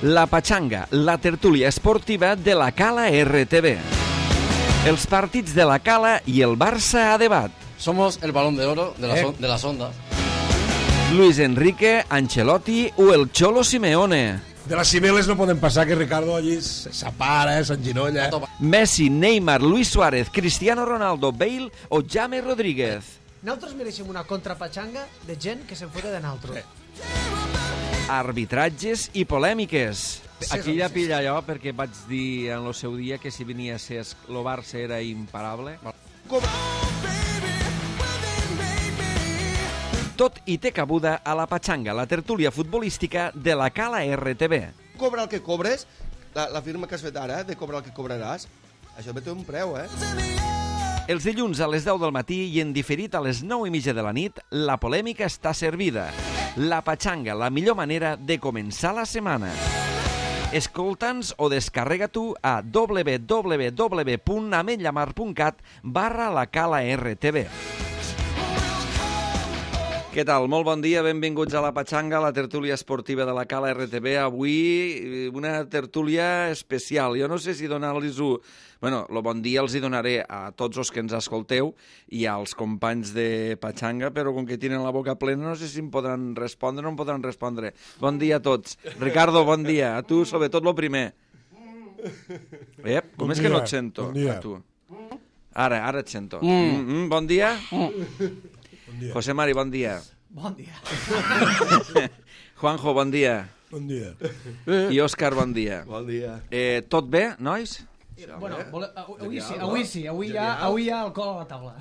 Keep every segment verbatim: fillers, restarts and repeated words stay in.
La Pachanga, la tertúlia esportiva de la Cala R T V. Els partits de la Cala i el Barça a debat. Somos el balón de oro de, la eh. son, de las ondas. Luis Enrique, Ancelotti o el Cholo Simeone. De las cibeles no poden passar, que Ricardo allí s'apara, s'enginolla. Messi, Neymar, Luis Suárez, Cristiano Ronaldo, Bale o James Rodríguez. Nosaltres mereixem una contrapatxanga de gent que se'n fota de naltro. Eh. Arbitratges i polèmiques. Aquí ja pilla allò perquè vaig dir en el seu dia que si venia a ser el Barça era imparable. Com... Tot i té cabuda a la Pachanga, la tertúlia futbolística de la Cala R T V. Cobra el que cobres, la, la firma que has fet ara, de cobrar el que cobraràs, això té un preu, eh? Els dilluns a les deu del matí i en diferit a les nou i mitja de la nit, la polèmica està servida. La Pachanga, la millor manera de començar la setmana. Escolta'ns o descarrega tu a w w w punt ametllamar punt cat barra la Cala R T V. Què tal? Molt bon dia, benvinguts a la Pachanga, la tertúlia esportiva de la Cala R T V. Avui una tertúlia especial. Jo no sé si donar-los-ho... Bueno, el bon dia els hi donaré a tots els que ens escolteu i als companys de Pachanga, però com que tenen la boca plena no sé si em podran respondre o no em podran respondre. Bon dia a tots. Ricardo, bon dia. A tu, sobretot, el primer. Ep, com bon és dia, que no et sento? Bon dia. A tu. Ara, ara et sento. Mm. Mm, mm, bon dia. Bon dia. José Mari, bon dia. Bon dia. Juanjo, bon dia. Bon dia. I Òscar, bon dia. Bon dia. Eh, tot bé, nois? Bueno, vole, avui sí, avui sí, avui hi ha, avui hi ha alcohol a la taula.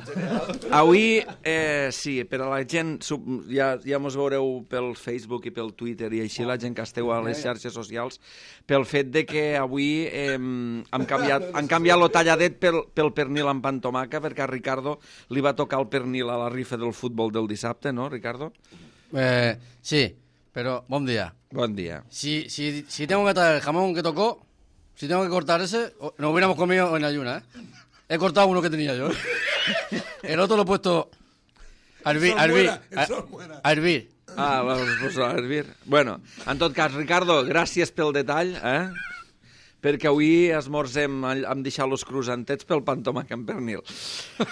Avui, eh, sí, per a la gent, sub- ja, ja mos veureu pel Facebook i pel Twitter i així la gent que esteu a les xarxes socials, pel fet de que avui eh, han canviat, han canviat lo talladet pel, pel pernil amb pan tomaca, perquè a Ricardo li va tocar el pernil a la rifa del futbol del dissabte, ¿no, Ricardo? Eh, sí, pero buen día. Bon dia. Si, si, si tengo que traer el jamón que tocó, si tengo que cortar ese, nos hubiéramos comido en ayuna, ¿eh? He cortado uno que tenía yo. El otro lo he puesto a hervir. A hervir. A, a hervir. Ah, vas posar a hervir. Bueno, en tot cas, Ricardo, gràcies pel detall, eh? Perquè avui esmorzem amb deixar los cruzantets pel pan tomaca amb pernil.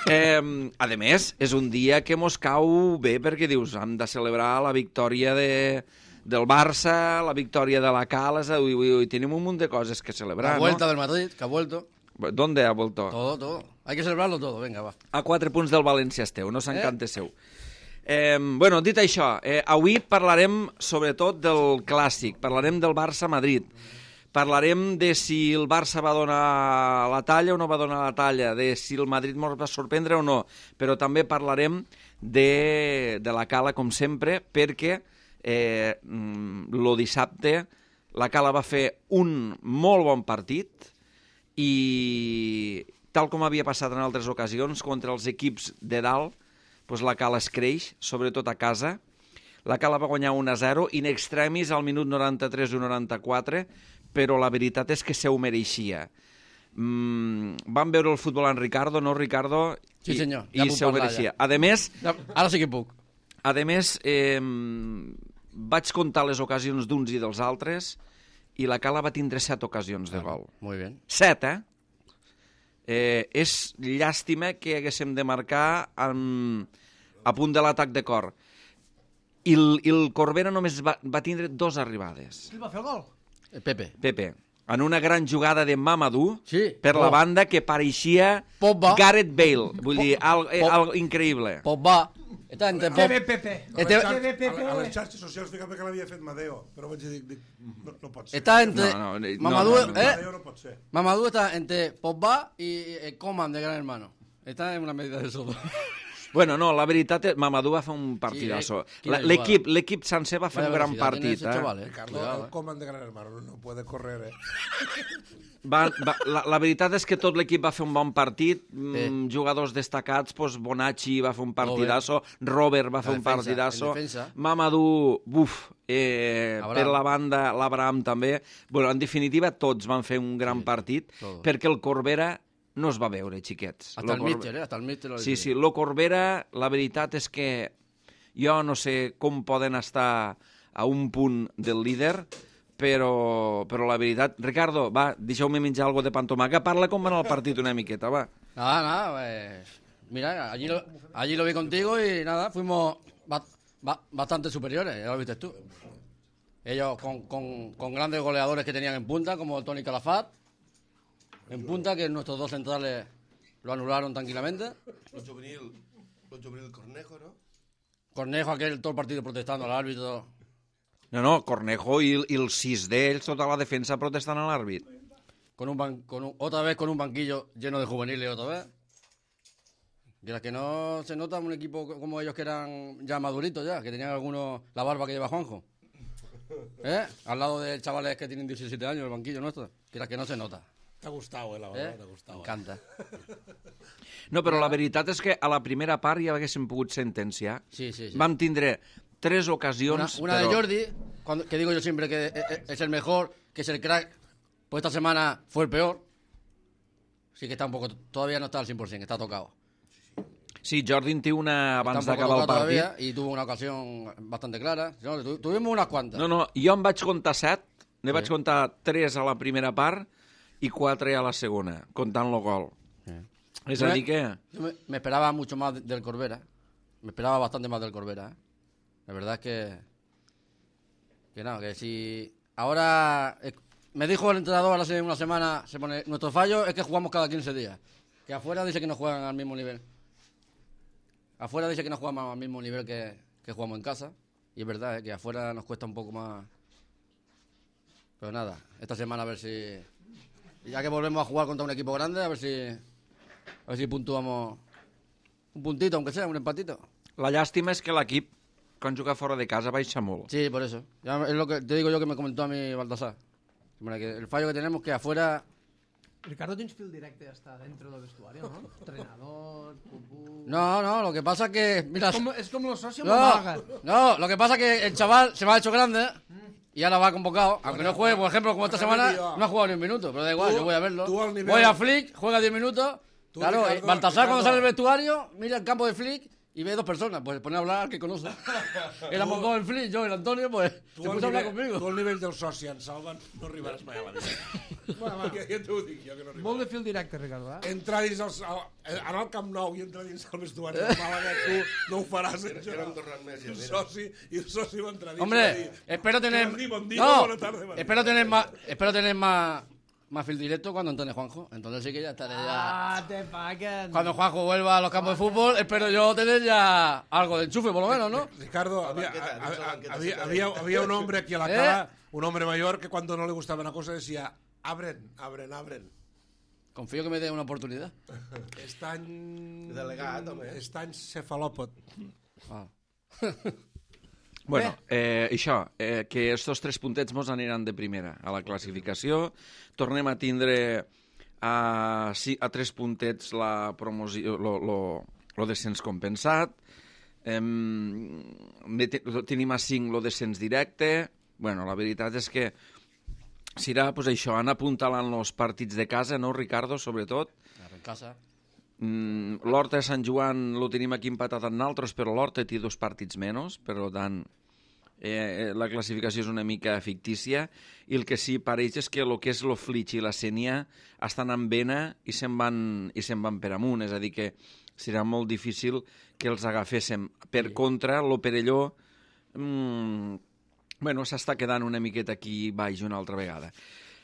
Eh, a més, és un dia que mos cau bé perquè dius, hem de celebrar la victòria de, del Barça, la victòria de la Cala, ui, ui, ui, tenim un munt de coses que celebrar, La vuelta ¿no? del Madrid, que ha vuelto. ¿Dónde ha vuelto? Todo, todo. Hay que celebrarlo todo, venga, va. A quatre punts del València esteu, no s'encanta eh? seu. Eh, bueno, dit això, eh, avui parlarem sobretot del clàssic, parlarem del Barça-Madrid, parlarem de si el Barça va donar la talla o no va donar la talla, de si el Madrid ens va sorprendre o no, però també parlarem de, de la Cala, com sempre, perquè eh, el dissabte la Cala va fer un molt bon partit i, tal com havia passat en altres ocasions, contra els equips de dalt, doncs la Cala es creix, sobretot a casa. La Cala va guanyar un a zero, in extremis al minut noranta-tres i noranta-quatre, però la veritat és que se ho mereixia. Mm, van veure el futbol en Ricardo, no, Ricardo? Sí, I, senyor, ja i puc se ho parlar, mereixia. ja. A més, Ja, ara sí que puc. a més eh, vaig comptar les ocasions d'uns i dels altres i la Cala va tindre set ocasions de gol. Muy bien. Set, eh? eh és llàstima que haguéssim de marcar en, a punt de l'atac de cor. I el, i el Corbera només va, va tindre dos arribades. Qui va fer el gol? Eh, Pepe. Pepe, en una gran jugada de Mamadou, Sí. per la Oh. banda que pareixia Pogba. Gareth Bale. Vull dir, algo, eh, Pop- algo increïble. Pogba. Está entre Pop... Pepe, Pepe. Este- A, les Pepe, xarxes, Pepe. a, a les xarxes socials fíjate que l'havia fet Madeo, però vaig dir, dic, no, no pot ser. Está entre... No, no, no, Mamadou, no, no, no. ¿eh? Madeo no pot ser. Mamadou está entre Pogba y el Coman de Gran Hermano. Está en una medida de eso. Bueno, no, la veritat és Mamadou va fer un partidazo. Sí, eh, quina La- L'equip l'equip sencer va fer Vaya un gran velocidad tiene partit. ese Eh? chaval, eh. Ricardo, Cuidado, el eh. Coman de Gran Hermano no, no puede correr, eh? Va, va, la, la veritat és que tot l'equip va fer un bon partit, mm, Sí. jugadors destacats, doncs Bonacci va fer un partidazo, Robert va fer La un defensa, partidazo, el defensa. Mamadou, buf, eh, Abraham. per la banda, l'Abraham també. Bueno, en definitiva, tots van fer un gran Sí, partit, todos. perquè el Corbera no es va veure, xiquets. Hasta el Lo Corbe- míster, ¿eh? Hasta el míster. lo Sí, dice. sí, lo Corbera, la veritat és que jo no sé com poden estar a un punt del líder, però, però la veritat... Ricardo, va, deixeu-me menjar algo de pantomaca. Parla com va anar el partit una miqueta, va. Nada, nada, pues, mira, allí lo, allí lo vi contigo y nada, fuimos ba, ba, bastante superiores, ya lo viste tú. Ellos con, con, con grandes goleadores que tenían en punta, como Toni Calafat, en punta, que nuestros dos centrales lo anularon tranquilamente. Lo juvenil, lo juvenil Cornejo, ¿no? Cornejo, aquel todo el partido protestando al árbitro. No, no, Cornejo i, i els sis d'ells, tota la defensa protestant a l'àrbit. Con un, ban, con un otra vez con un banquillo lleno de juveniles otra vez. Y las que no se nota un equipo como ellos que eran ya maduritos ya, que tenían algunos la barba que lleva Juanjo. ¿Eh? Al lado de chavales que tienen diecisiete años, el banquillo nuestro, que las que no se nota. T'ha gustat, eh, la barba, ¿Eh? t'ha gustat. Encanta. No, però la veritat és que a la primera part ja haguéssim pogut sentenciar. Sí, sí, sí. Vam tindre tres Una, ocasions, una però... de Jordi, cuando, que digo yo siempre que es, es el mejor, que es el crack, pues esta semana fue el peor. Sí que está un poco, todavía no está al cien por ciento, está tocado. Sí, Jordi en té una abans Está un poco d'acabar el tocado partit. todavía y tuvo una ocasión bastante clara. No, tu, tuvimos unas cuantas. No, no, jo em vaig comptar set, ne vaig comptar tres a la primera part i quatre a la segona, comptant el gol. Sí. És a dir que... Yo me, me esperaba mucho más de- del Corbera. Me esperaba bastante más del Corbera. ¿eh? La verdad es que... Que no, que si... Ahora... eh, me dijo el entrenador hace una semana, se pone, nuestro fallo es que jugamos cada quince días. Que afuera dice que no juegan al mismo nivel. Afuera dice que no jugamos al mismo nivel que, que jugamos en casa. Y es verdad, ¿eh? Que afuera nos cuesta un poco más. Pero nada, esta semana a ver si... Ya que volvemos a jugar contra un equipo grande, a ver si... A ver si puntuamos un puntito, aunque sea, un empatito. La llàstima és que l'equip, quan juga fora de casa, baixa molt. Sí, por eso. Ya es lo que te digo yo que me comentó a mí Baltasar. Hombre, que el fallo que tenemos es que afuera... Ricardo, tens fil directe hasta dentro del vestuario, ¿no? Entrenador, pupú... No, no, lo que pasa es que... Mira, Es como, es como los socios no, Málaga. no, lo que pasa es que el chaval se me ha hecho grande y ahora va convocado. Aunque no juegue, por ejemplo, como esta semana, no ha jugado ni un minuto. Pero da igual, Tú- yo voy a verlo. tú al nivel- Voy a Flick, juega diez minutos. Tú, Claro, Ricardo, Baltasar cuando Ricardo. sale del vestuario, mira el campo de Flick y ve dos personas. Pues se pone a hablar al que conoce. Éramos dos en Flick, yo y el Antonio, pues Tu se al puso a hablar nivell, conmigo. tu al nivell del soci en Salva no arribaràs mai a la vida. Bueno, va. Ja, ja t'ho dic jo, que no arribaràs. Molt de fil directe, Ricardo, eh? Entrar dins el, el, anar al Camp Nou i entrar dins el vestuari de Màlaga, tu no ho faràs. Eh? Que no hem tornat més. I el Ja, soci, i el soci va entrar dins i va Hombre, dir, espero tener... Bon dia, bon dia, No, bona tarda, bon dia. espero tener más, espero tener más, más fil directo cuando entrene Juanjo. Entonces sí que ya estaré ya... Ah, te paguen. Cuando Juanjo vuelva a los campos de fútbol, espero yo tener ya algo de enchufe, por lo menos, ¿no? Ricardo, La había, banqueta, a- dins la a- banqueta, había, sí, había, sí. había un hombre aquí a la ¿Eh? cara, un hombre mayor, que cuando no le gustaba una cosa decía, abren, abren, abren. Confío que me dé una oportunidad. Estany... Delegat, home. Estany cefalòpot. Ah. Bueno, eh, això, eh, que estos tres puntets mos aniran de primera a la classificació. Tornem a tindre a, sí, a tres puntets la promoció, lo, lo, lo descens compensat. Em, te- tenim a cinc lo descens directe. Bueno, la veritat és que serà pues, això, anar apuntalant els partits de casa, no, Ricardo, sobretot. En casa. Mm, l'Horta de Sant Joan lo tenim aquí empatat amb naltros, però l'Horta té dos partits menys, per tant, eh, la classificació és una mica fictícia, i el que sí pareix és que el que és lo Flitx i la Sénia estan en vena i se'n van, i se'n van per amunt, és a dir que serà molt difícil que els agaféssim. Per contra, lo Perelló mm, bueno, s'està quedant una miqueta aquí baix una altra vegada.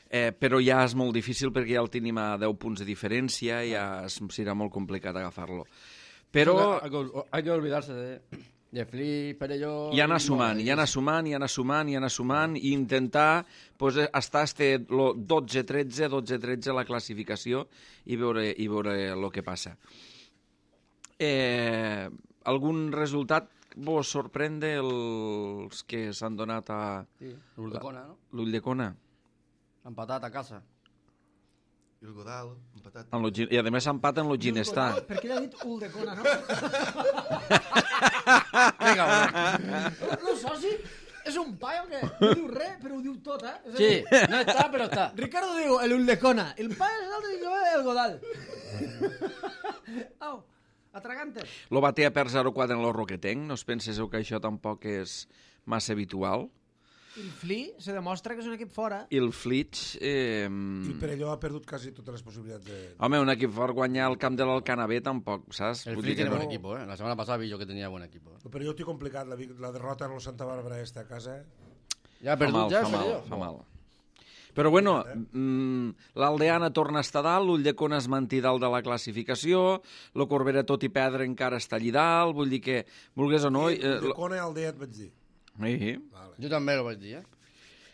Eh, però ja és molt difícil perquè ja el tenim a deu punts de diferència i ja es, serà molt complicat agafar-lo. Però Hay que, hay que olvidarse de, de Flip, Perelló... i anar sumant, i anar sumant, i anar sumant, i anar sumant, i intentar pues, estar este, lo dotze tretze, dotze tretze la classificació i veure, i veure el que passa. Eh, algun resultat vos sorprèn dels que s'han donat a Sí, l'Uldecona, no? l'Ulldecona? Empatat a casa. I el Godal, empatat. En lo, Gi- I a més empat en lo Ginestar. Per què l'ha dit Uldecona, no? Vinga, va. No, soci, és un paio que no diu res, però ho diu tot, eh? És a Sí, dir, no está, pero está. Ricardo diu el Uldecona, el paio és l'altre i jo el Godal. Au, atragante. Lo batea per zero quatre en lo Roquetenc. No us penseu que això tampoc és massa habitual? el Flix se demostra que és un equip fora. I el Flix... Eh... I el Perelló ha perdut quasi totes les possibilitats de... Home, un equip fort guanyar el camp de l'Alcanabé tampoc, saps? El Vull Flix dir que tiene no. buen equipo, ¿eh? La semana pasada vi yo que tenía buen equipo. El Perelló té complicat, la, la derrota en el Santa Bàrbara esta a casa. Ya ha Fa mal, perdut, ja, fa mal, Perelló. fa mal. Però bueno, mm, l'Aldeana torna a estar dalt, l'Ulldecona es manté dalt de la classificació, el Corbera, tot i perdre, encara està allí dalt, vull dir que, vulgués o no... I Eh, de lo- Cona al dia et vaig dir. sí. Vale. Jo també ho vaig dir, eh?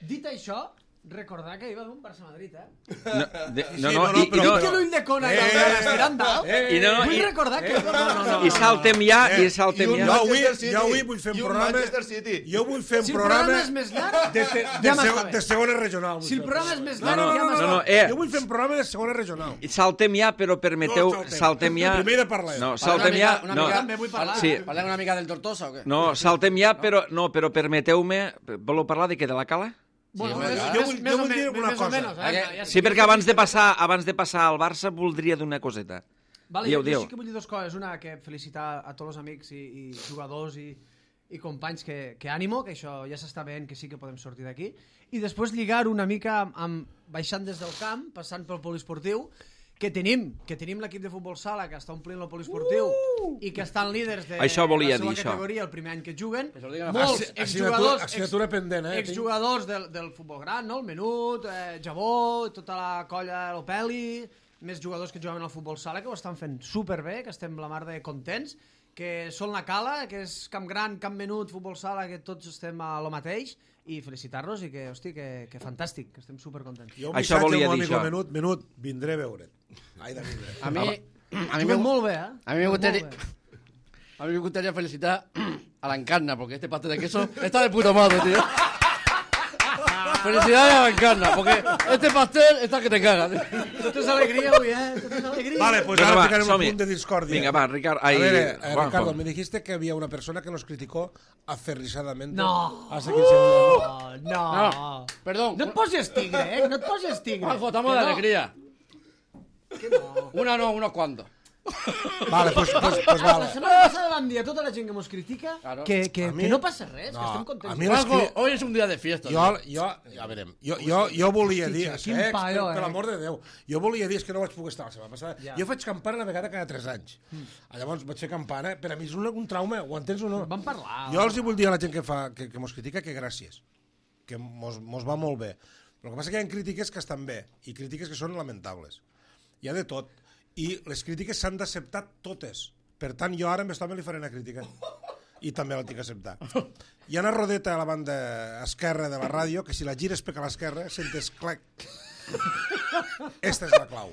Dit això, recordar que hi va haver un Barça-Madrid, eh? No, de, Sí, no, sí, no, no, no, i, i però- no, Dic que l'ull de Cona i Eh, l'Aldeana estiran dalt. i no, Vull i, recordar que... No, no, no. i saltem ja, i I saltem un ja. Jo avui, Manchester City. jo avui vull fer I un un programa... Manchester City. Jo vull fer un Si el programa programa és més llarg, de, de, de, ja seg m'està bé. de segona regional. vull Si el fer. programa és més No, llarg, no, ja no, m'està no, bé. eh, Jo vull fer un programa de segona regional. I saltem ja, però permeteu, No, saltem. saltem ja... Primer de parlar. No, Parlem saltem una ja... mica- una No, mica- També vull parlar. Sí. Parlem una mica del Tortosa o què? no, saltem ja, però, no, però permeteu-me... Voleu parlar de què, de la cala? Bueno, home, més, clar. Jo més, vull- més jo o vull dir menys, una més o cosa. menys, eh? Aquest- Ja Sí, perquè abans de passar abans de passar al Barça voldria dir una coseta. Vale, Diu, jo, diu. jo sí que vull dir dues coses. Una, que felicitar a tots els amics i, i jugadors i, i companys que, que ànimo, que això ja s'està veient que sí que podem sortir d'aquí. I després lligar una mica amb, amb baixant des del camp, passant pel poliesportiu, que tenim, que tenim l'equip de futbol sala que està omplint el poliesportiu uh! i que estan líders de Això volia la seva dir, això. categoria el primer any que juguen. Que se lo digan a Molts Assi- exjugadors, assignatura pendent, eh, exjugadors del, del futbol gran, no? El Menut, eh, Jabó, tota la colla de l'Opeli, més jugadors que jugaven al futbol sala que ho estan fent superbé, que estem la mar de contents, que són la cala, que és camp gran, camp menut, futbol sala, que tots estem a lo mateix, i felicitar-los i que, hosti, que, que fantàstic, que estem supercontents. Jo un Això missatge volia al meu dir amic això. Menut, Menut, vindré a veure't. Ai, de vindre. A mí, a mí, me, Juguen molt bé, eh? a mí me Juguen gustaría, molt bé. a mí me gustaría felicitar a la Encarna, porque este pastel de queso está de puta madre, tío. Felicidades a la Encarna, porque este pastel está que te cagas. Tot és alegria avui, eh? Tot és alegria. Vale, pues Venga, ahora va, ficarem un som-hi. punt de discordia. Vinga, va, Ricard... Ai, A ver, eh, Juanjo. Ricardo, me dijiste que había una persona que nos criticó aferrisadamente. No. Hace quince minutos. No, no. No, perdón. No et posis tigre, eh? No et posis tigre. Juanjo, estamos Que de no. alegría. Que no. Una no, unos cuantos. Vale, pues, pues, pues La vale. setmana passada vam dir a tota la gent que mos critica Claro. que, que, A mi- que no passa res, No, que estem contents. a mi les Juanjo, cri- hoy es un día de fiesta. Jo, tío. jo, ja veurem, jo, jo, jo volia Hosti, dir, tio, quin Sex, paio, per, per eh? l'amor de Déu, jo volia dir és que no vaig poder estar la setmana passada. Ja. Jo faig campana una vegada cada tres anys. Mm. Llavors vaig fer campana, per a mi és un, un trauma, ho entens o no? Vam parlar. Jo els hi vull dir a la gent que, fa, que, que mos critica que gràcies, que mos, mos va molt bé. Però el que passa és que hi ha crítiques que estan bé i crítiques que són lamentables. Hi ha de tot. I les crítiques s'han d'acceptar totes. Per tant, jo ara amb aquest home li faré una crítica. I també la tinc que acceptar. Hi ha una rodeta a la banda esquerra de la ràdio que si la gires per a l'esquerra sentes clac. Esta és la clau.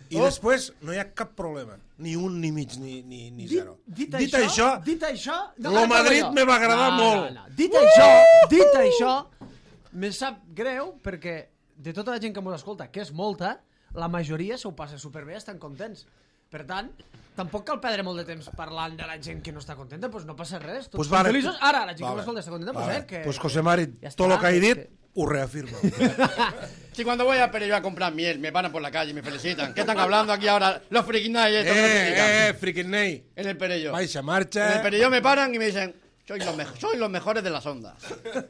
I després no hi ha cap problema. Ni un, ni mig, ni, ni, ni zero. Dit, dit, dit això, això, dit això... lo ara parlo Madrid jo. me va agradar no, molt. No, no. Dit això, dit això, me sap greu perquè de tota la gent que mos escolta, que és molta, la majoria s'ho passa superbé, estan contents. Per tant, tampoc cal perdre molt de temps parlant de la gent que no està contenta, doncs no passa res. Tots Pues pues vale. feliços. Ara, la gent Vale. que m'escolta està contenta, Vale. pues, eh, que... Pues José Mari, Ja todo està, lo que ha és dit, que- ho reafirma. Si cuando voy a Perelló a comprar miel, me paran por la calle y me felicitan. ¿Qué están hablando aquí ahora los friquinais estos que nos critican? eh, eh, frikin Ney. En el Perelló. Baixa En marcha. el Perelló me paran y me dicen, sois los, mejo- sois los mejores de las ondas.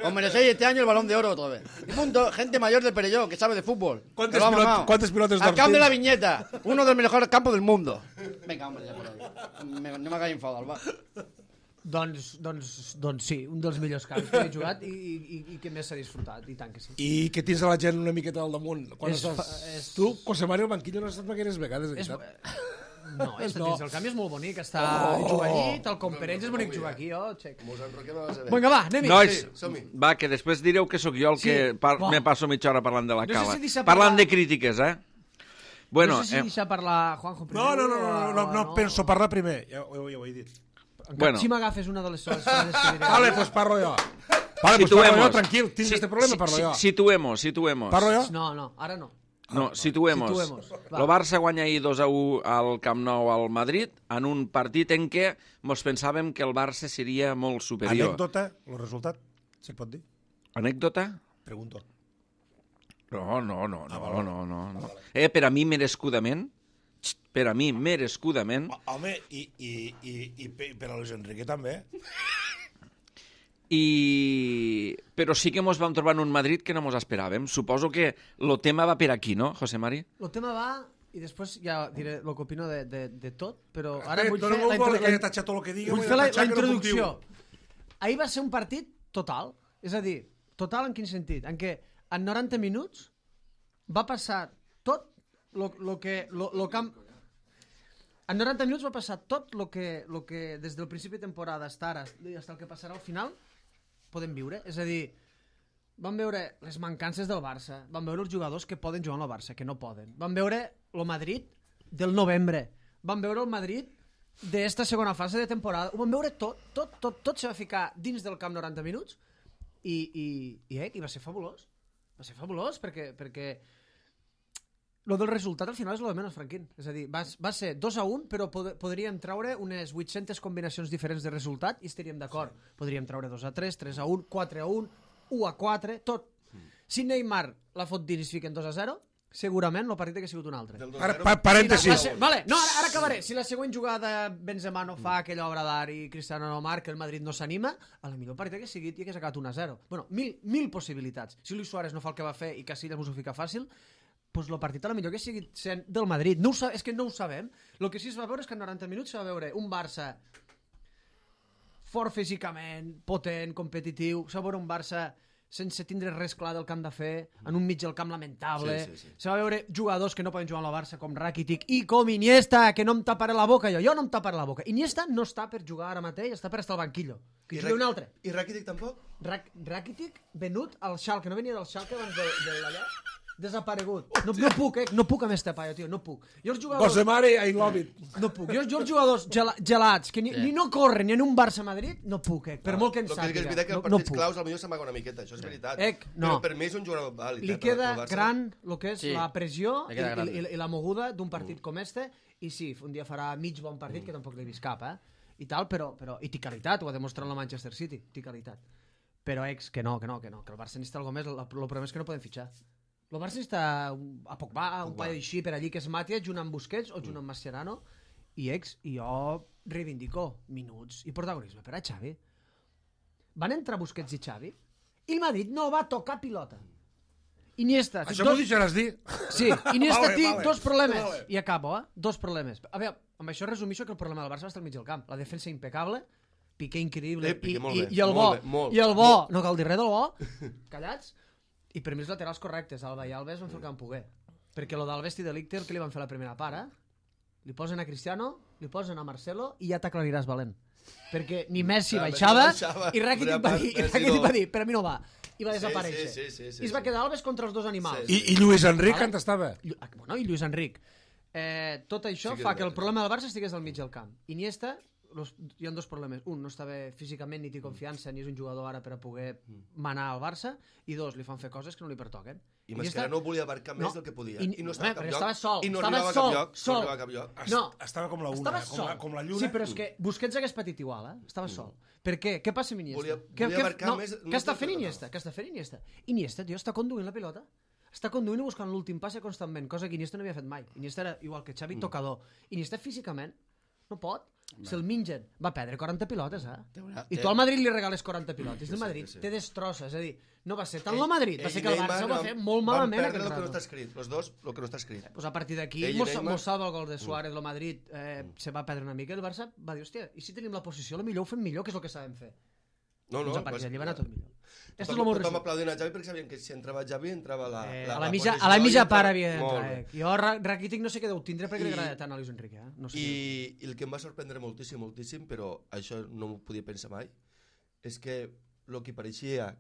Os merecéis este año el Balón de Oro otra vez. Y punto, gente mayor del Perelló que sabe de fútbol. ¿Cuántos que lo ha pilot- mamado. cuántos pilotos Al d'Ortiz? camp de la Viñeta, uno de los mejores campos del mundo. Venga, hombre, ya por ahí. Me- no me hagáis enfadar, va. Doncs, doncs, doncs sí, un dels millors camps que he jugat i, i, i que més s'ha disfrutat, i tant que sí. I que tens a la gent una miqueta al damunt. Quan És estàs... fa- és- Tu, José Mari, al banquillo no has estat gaires vegades, de És, veritat. no, és, No. dins el camp és molt bonic, està oh, jugar allí, tal com per ells és bonic jugar aquí, oh, xec. Mos enroquem a la seva. Vinga, va, anem-hi. Nois, Sí, som-hi. va, que després direu que sóc jo el que Sí, par va. me passo mitja hora parlant de la No sé cala. si deixa Parlant parlar- de crítiques, eh? Bueno, no sé si eh, deixar parlar Juanjo primer. No, no, no, no, no, no, no, o penso parlar primer. Ja, ho, ja ho he dit. Encara, Bueno. Si m'agafes una de les soles frases que diré. Vale, pues parlo jo. Vale, pues situemos. parlo jo, tranquil. Tens este problema, parlo jo. Situemos, situemos. Parlo jo? No, no, ara no. No, situemos. Situemos, va. El Barça guanya ahir dos a u al Camp Nou al Madrid en un partit en què mos pensàvem que el Barça seria molt superior. Anècdota, el resultat, se pot dir? Anècdota? Pregunto. No, no, no, no, no, no, no. Eh, per a mi merescudament, xt, per a mi merescudament, Home, i, i, i, i pe- per a Luis Enrique també. I... però sí que ens vam trobar en un Madrid que no ens esperàvem. Suposo que el tema va per aquí, no, José Mari? El tema va, i després ja diré el que opino de, de, de tot, però ara Eh, vull dona fer, molt la, bo intro... que hagi tatxat tot el que diga, vull vull fer la, tatxar la que no puc introducció. dir. Ahir va ser un partit total, és a dir, total en quin sentit? En què en noranta minuts va passar tot lo, lo que... Lo, lo camp... En noranta minuts va passar tot el que, lo que des del principi de temporada hasta ara, fins el que passarà al final, podem viure. És a dir, vam veure les mancances del Barça, vam veure els jugadors que poden jugar al Barça, que no poden. Vam veure el Madrid del novembre, vam veure el Madrid d'esta segona fase de temporada, ho vam veure tot, tot, tot, tot se va ficar dins del camp noranta minuts i, i, i, eh, i va ser fabulós. Va ser fabulós perquè, perquè lo del resultat al final és lo de menys, Franquín. És a dir, va, va ser dos a un, però pod podríem traure unes vuit-centes combinacions diferents de resultat i estaríem d'acord. Sí. Podríem traure dos a tres, tres a un, quatre a un, u a quatre, tot. Mm. Si Neymar la fot dins i es fiquen dos a zero, segurament el partit hauria sigut un altre. Ara, pa parèntesis. Si vale, no, ara, ara acabaré. Si la següent jugada Benzema no fa aquella obra d'art i Cristiano no marca, el Madrid no s'anima, a la millor partit hauria sigut i hauria acabat un a zero. Bueno, mil, mil possibilitats. Si Luis Suárez no fa el que va fer i Casillas mos ho fica fàcil, pues el partit a la millor que sigui sent del Madrid. No ho és que no ho sabem. El que sí es va veure és que en noranta minuts se va veure un Barça fort físicament, potent, competitiu, se va veure un Barça sense tindre res clar del que han de fer, en un mig del camp lamentable. Sí, sí, sí. Se va veure jugadors que no poden jugar al Barça, com Rakitic i com Iniesta, que no em taparé la boca jo. Jo no em taparé la boca. Iniesta no està per jugar ara mateix, està per estar al banquillo. Que jugui un altre. I Rakitic tampoc? Rak Rakitic venut al Schalke, no venia del Schalke abans de, de l'allà? Desaparegut. No, no puc, eh? No puc amb este paio, tio, no puc. Jo els jugadors... José Mari, I love it. No puc. Jo, jo els jugadors gela, gelats, que ni, sí. ni no corren ni en un Barça-Madrid, no puc, eh? Per no, molt que en sàpiga. És veritat que els no, partits no claus potser s'amaga una miqueta, això és veritat. Ec, no. Però per mi és un jugador vàlid. Li eh, queda per, per gran el que és sí. la pressió i, gran. i, i, i la moguda d'un partit mm. com este, i sí, un dia farà mig bon partit, mm. que tampoc l'he vist cap, eh? I tal, però, però... I té qualitat, ho ha demostrat la Manchester City, té qualitat. Però ex, que no, que no, que no, que el Barça necessita alguna més, el problema és que no poden fitxar. El Barça està a Pogba, un paio així per allí que es mati junt amb Busquets o junt amb Mascherano i ex, i jo reivindico minuts i protagonisme per a Xavi. Van entrar Busquets i Xavi i el Madrid no va tocar pilota. Iniesta... Això dos... m'ho deixaràs dir? Sí, Iniesta vale, té vale. dos problemes. Vale. I acabo, eh? Dos problemes. A veure, amb això resumixo que el problema del Barça va estar al mig del camp. La defensa impecable, Piqué increïble, eh, Piqué, i, bé, i, i el bo, bé, molt, i el bo, molt. no cal dir res del bo, callats, i per mi els laterals correctes, Alba i Alves van fer el que van poder. Perquè lo d'Alves i de l'Icter, que li van fer la primera part, eh? Li posen a Cristiano, li posen a Marcelo i ja t'aclariràs valent. Perquè ni Messi Clar, baixava, Messi baixava, i Rakitic va dir, i Messi Rakitic no. va dir, per a mi no va. I va Sí, desaparèixer. sí, sí, sí, sí, I es va sí. quedar Alves contra els dos animals. Sí, I, i Lluís Enric Vale. on estava? Llu- ah, bueno, i Lluís Enric. Eh, tot això Sí que fa és que el veritat. problema del Barça estigués al mig del camp. Iniesta, los, hi ha dos problemes. Un, no estava físicament ni té confiança, ni és un jugador ara per a poder manar al Barça. I dos, li fan fer coses que no li pertoquen. I Mascherano no volia abarcar més No. del que podia. I, I no estava a cap perquè lloc. estava sol. I no estava arribava a sol, cap lloc. sol. No arribava a cap lloc. Est- No. Estava com la una, Estava com sol. la, com la lluna. Sí, però és que Busquets hagués patit igual, eh? Estava sol. Per què? Què passa amb Iniesta? Volia- què, volia què, abarcar no, més- què més està del fent que Iniesta? Què està fent Iniesta? Iniesta, tio, està conduint la pilota. Està conduint i buscant l'últim passe constantment, cosa que Iniesta no havia fet mai. Iniesta era igual que Xavi, tocador. Iniesta físicament no pot. Se'l mengen. Va perdre quaranta pilotes, eh? una- I té- tu al Madrid li regales quaranta pilotes. Sí, El sí, Madrid sí, sí. té destrossa. És a dir, no va ser tant Ell- el Madrid, va ell ser i que el Neymar Barça ho va van- fer molt malament Van aquest perdre el que no rato. està escrit. Los dos, el que no està escrit. Pues a partir d'aquí Ell i mos, Neymar- mos salva el gol de Suárez, el Madrid eh, se va perdre una mica, el Barça va dir, hòstia, i si tenim la posició, la millor ho fem millor, que és el que sabem fer. No, no. Doncs a partir d'allí va anar tot millor. Esto és Tothom, el meu tothom resum. aplaudint a Xavi perquè sabien que si entrava Xavi entrava la, Eh, la, a la la mitja, posició a la i mitja entrava- part havia Molt d'entrar. bé. Eh? Jo, Ra- Rakitic no sé què deu tindre perquè li I- agrada tant a Luis Enrique. Eh? No sé què. I, I el que em va sorprendre moltíssim, moltíssim, però això no m'ho podia pensar mai, és que el que pareixia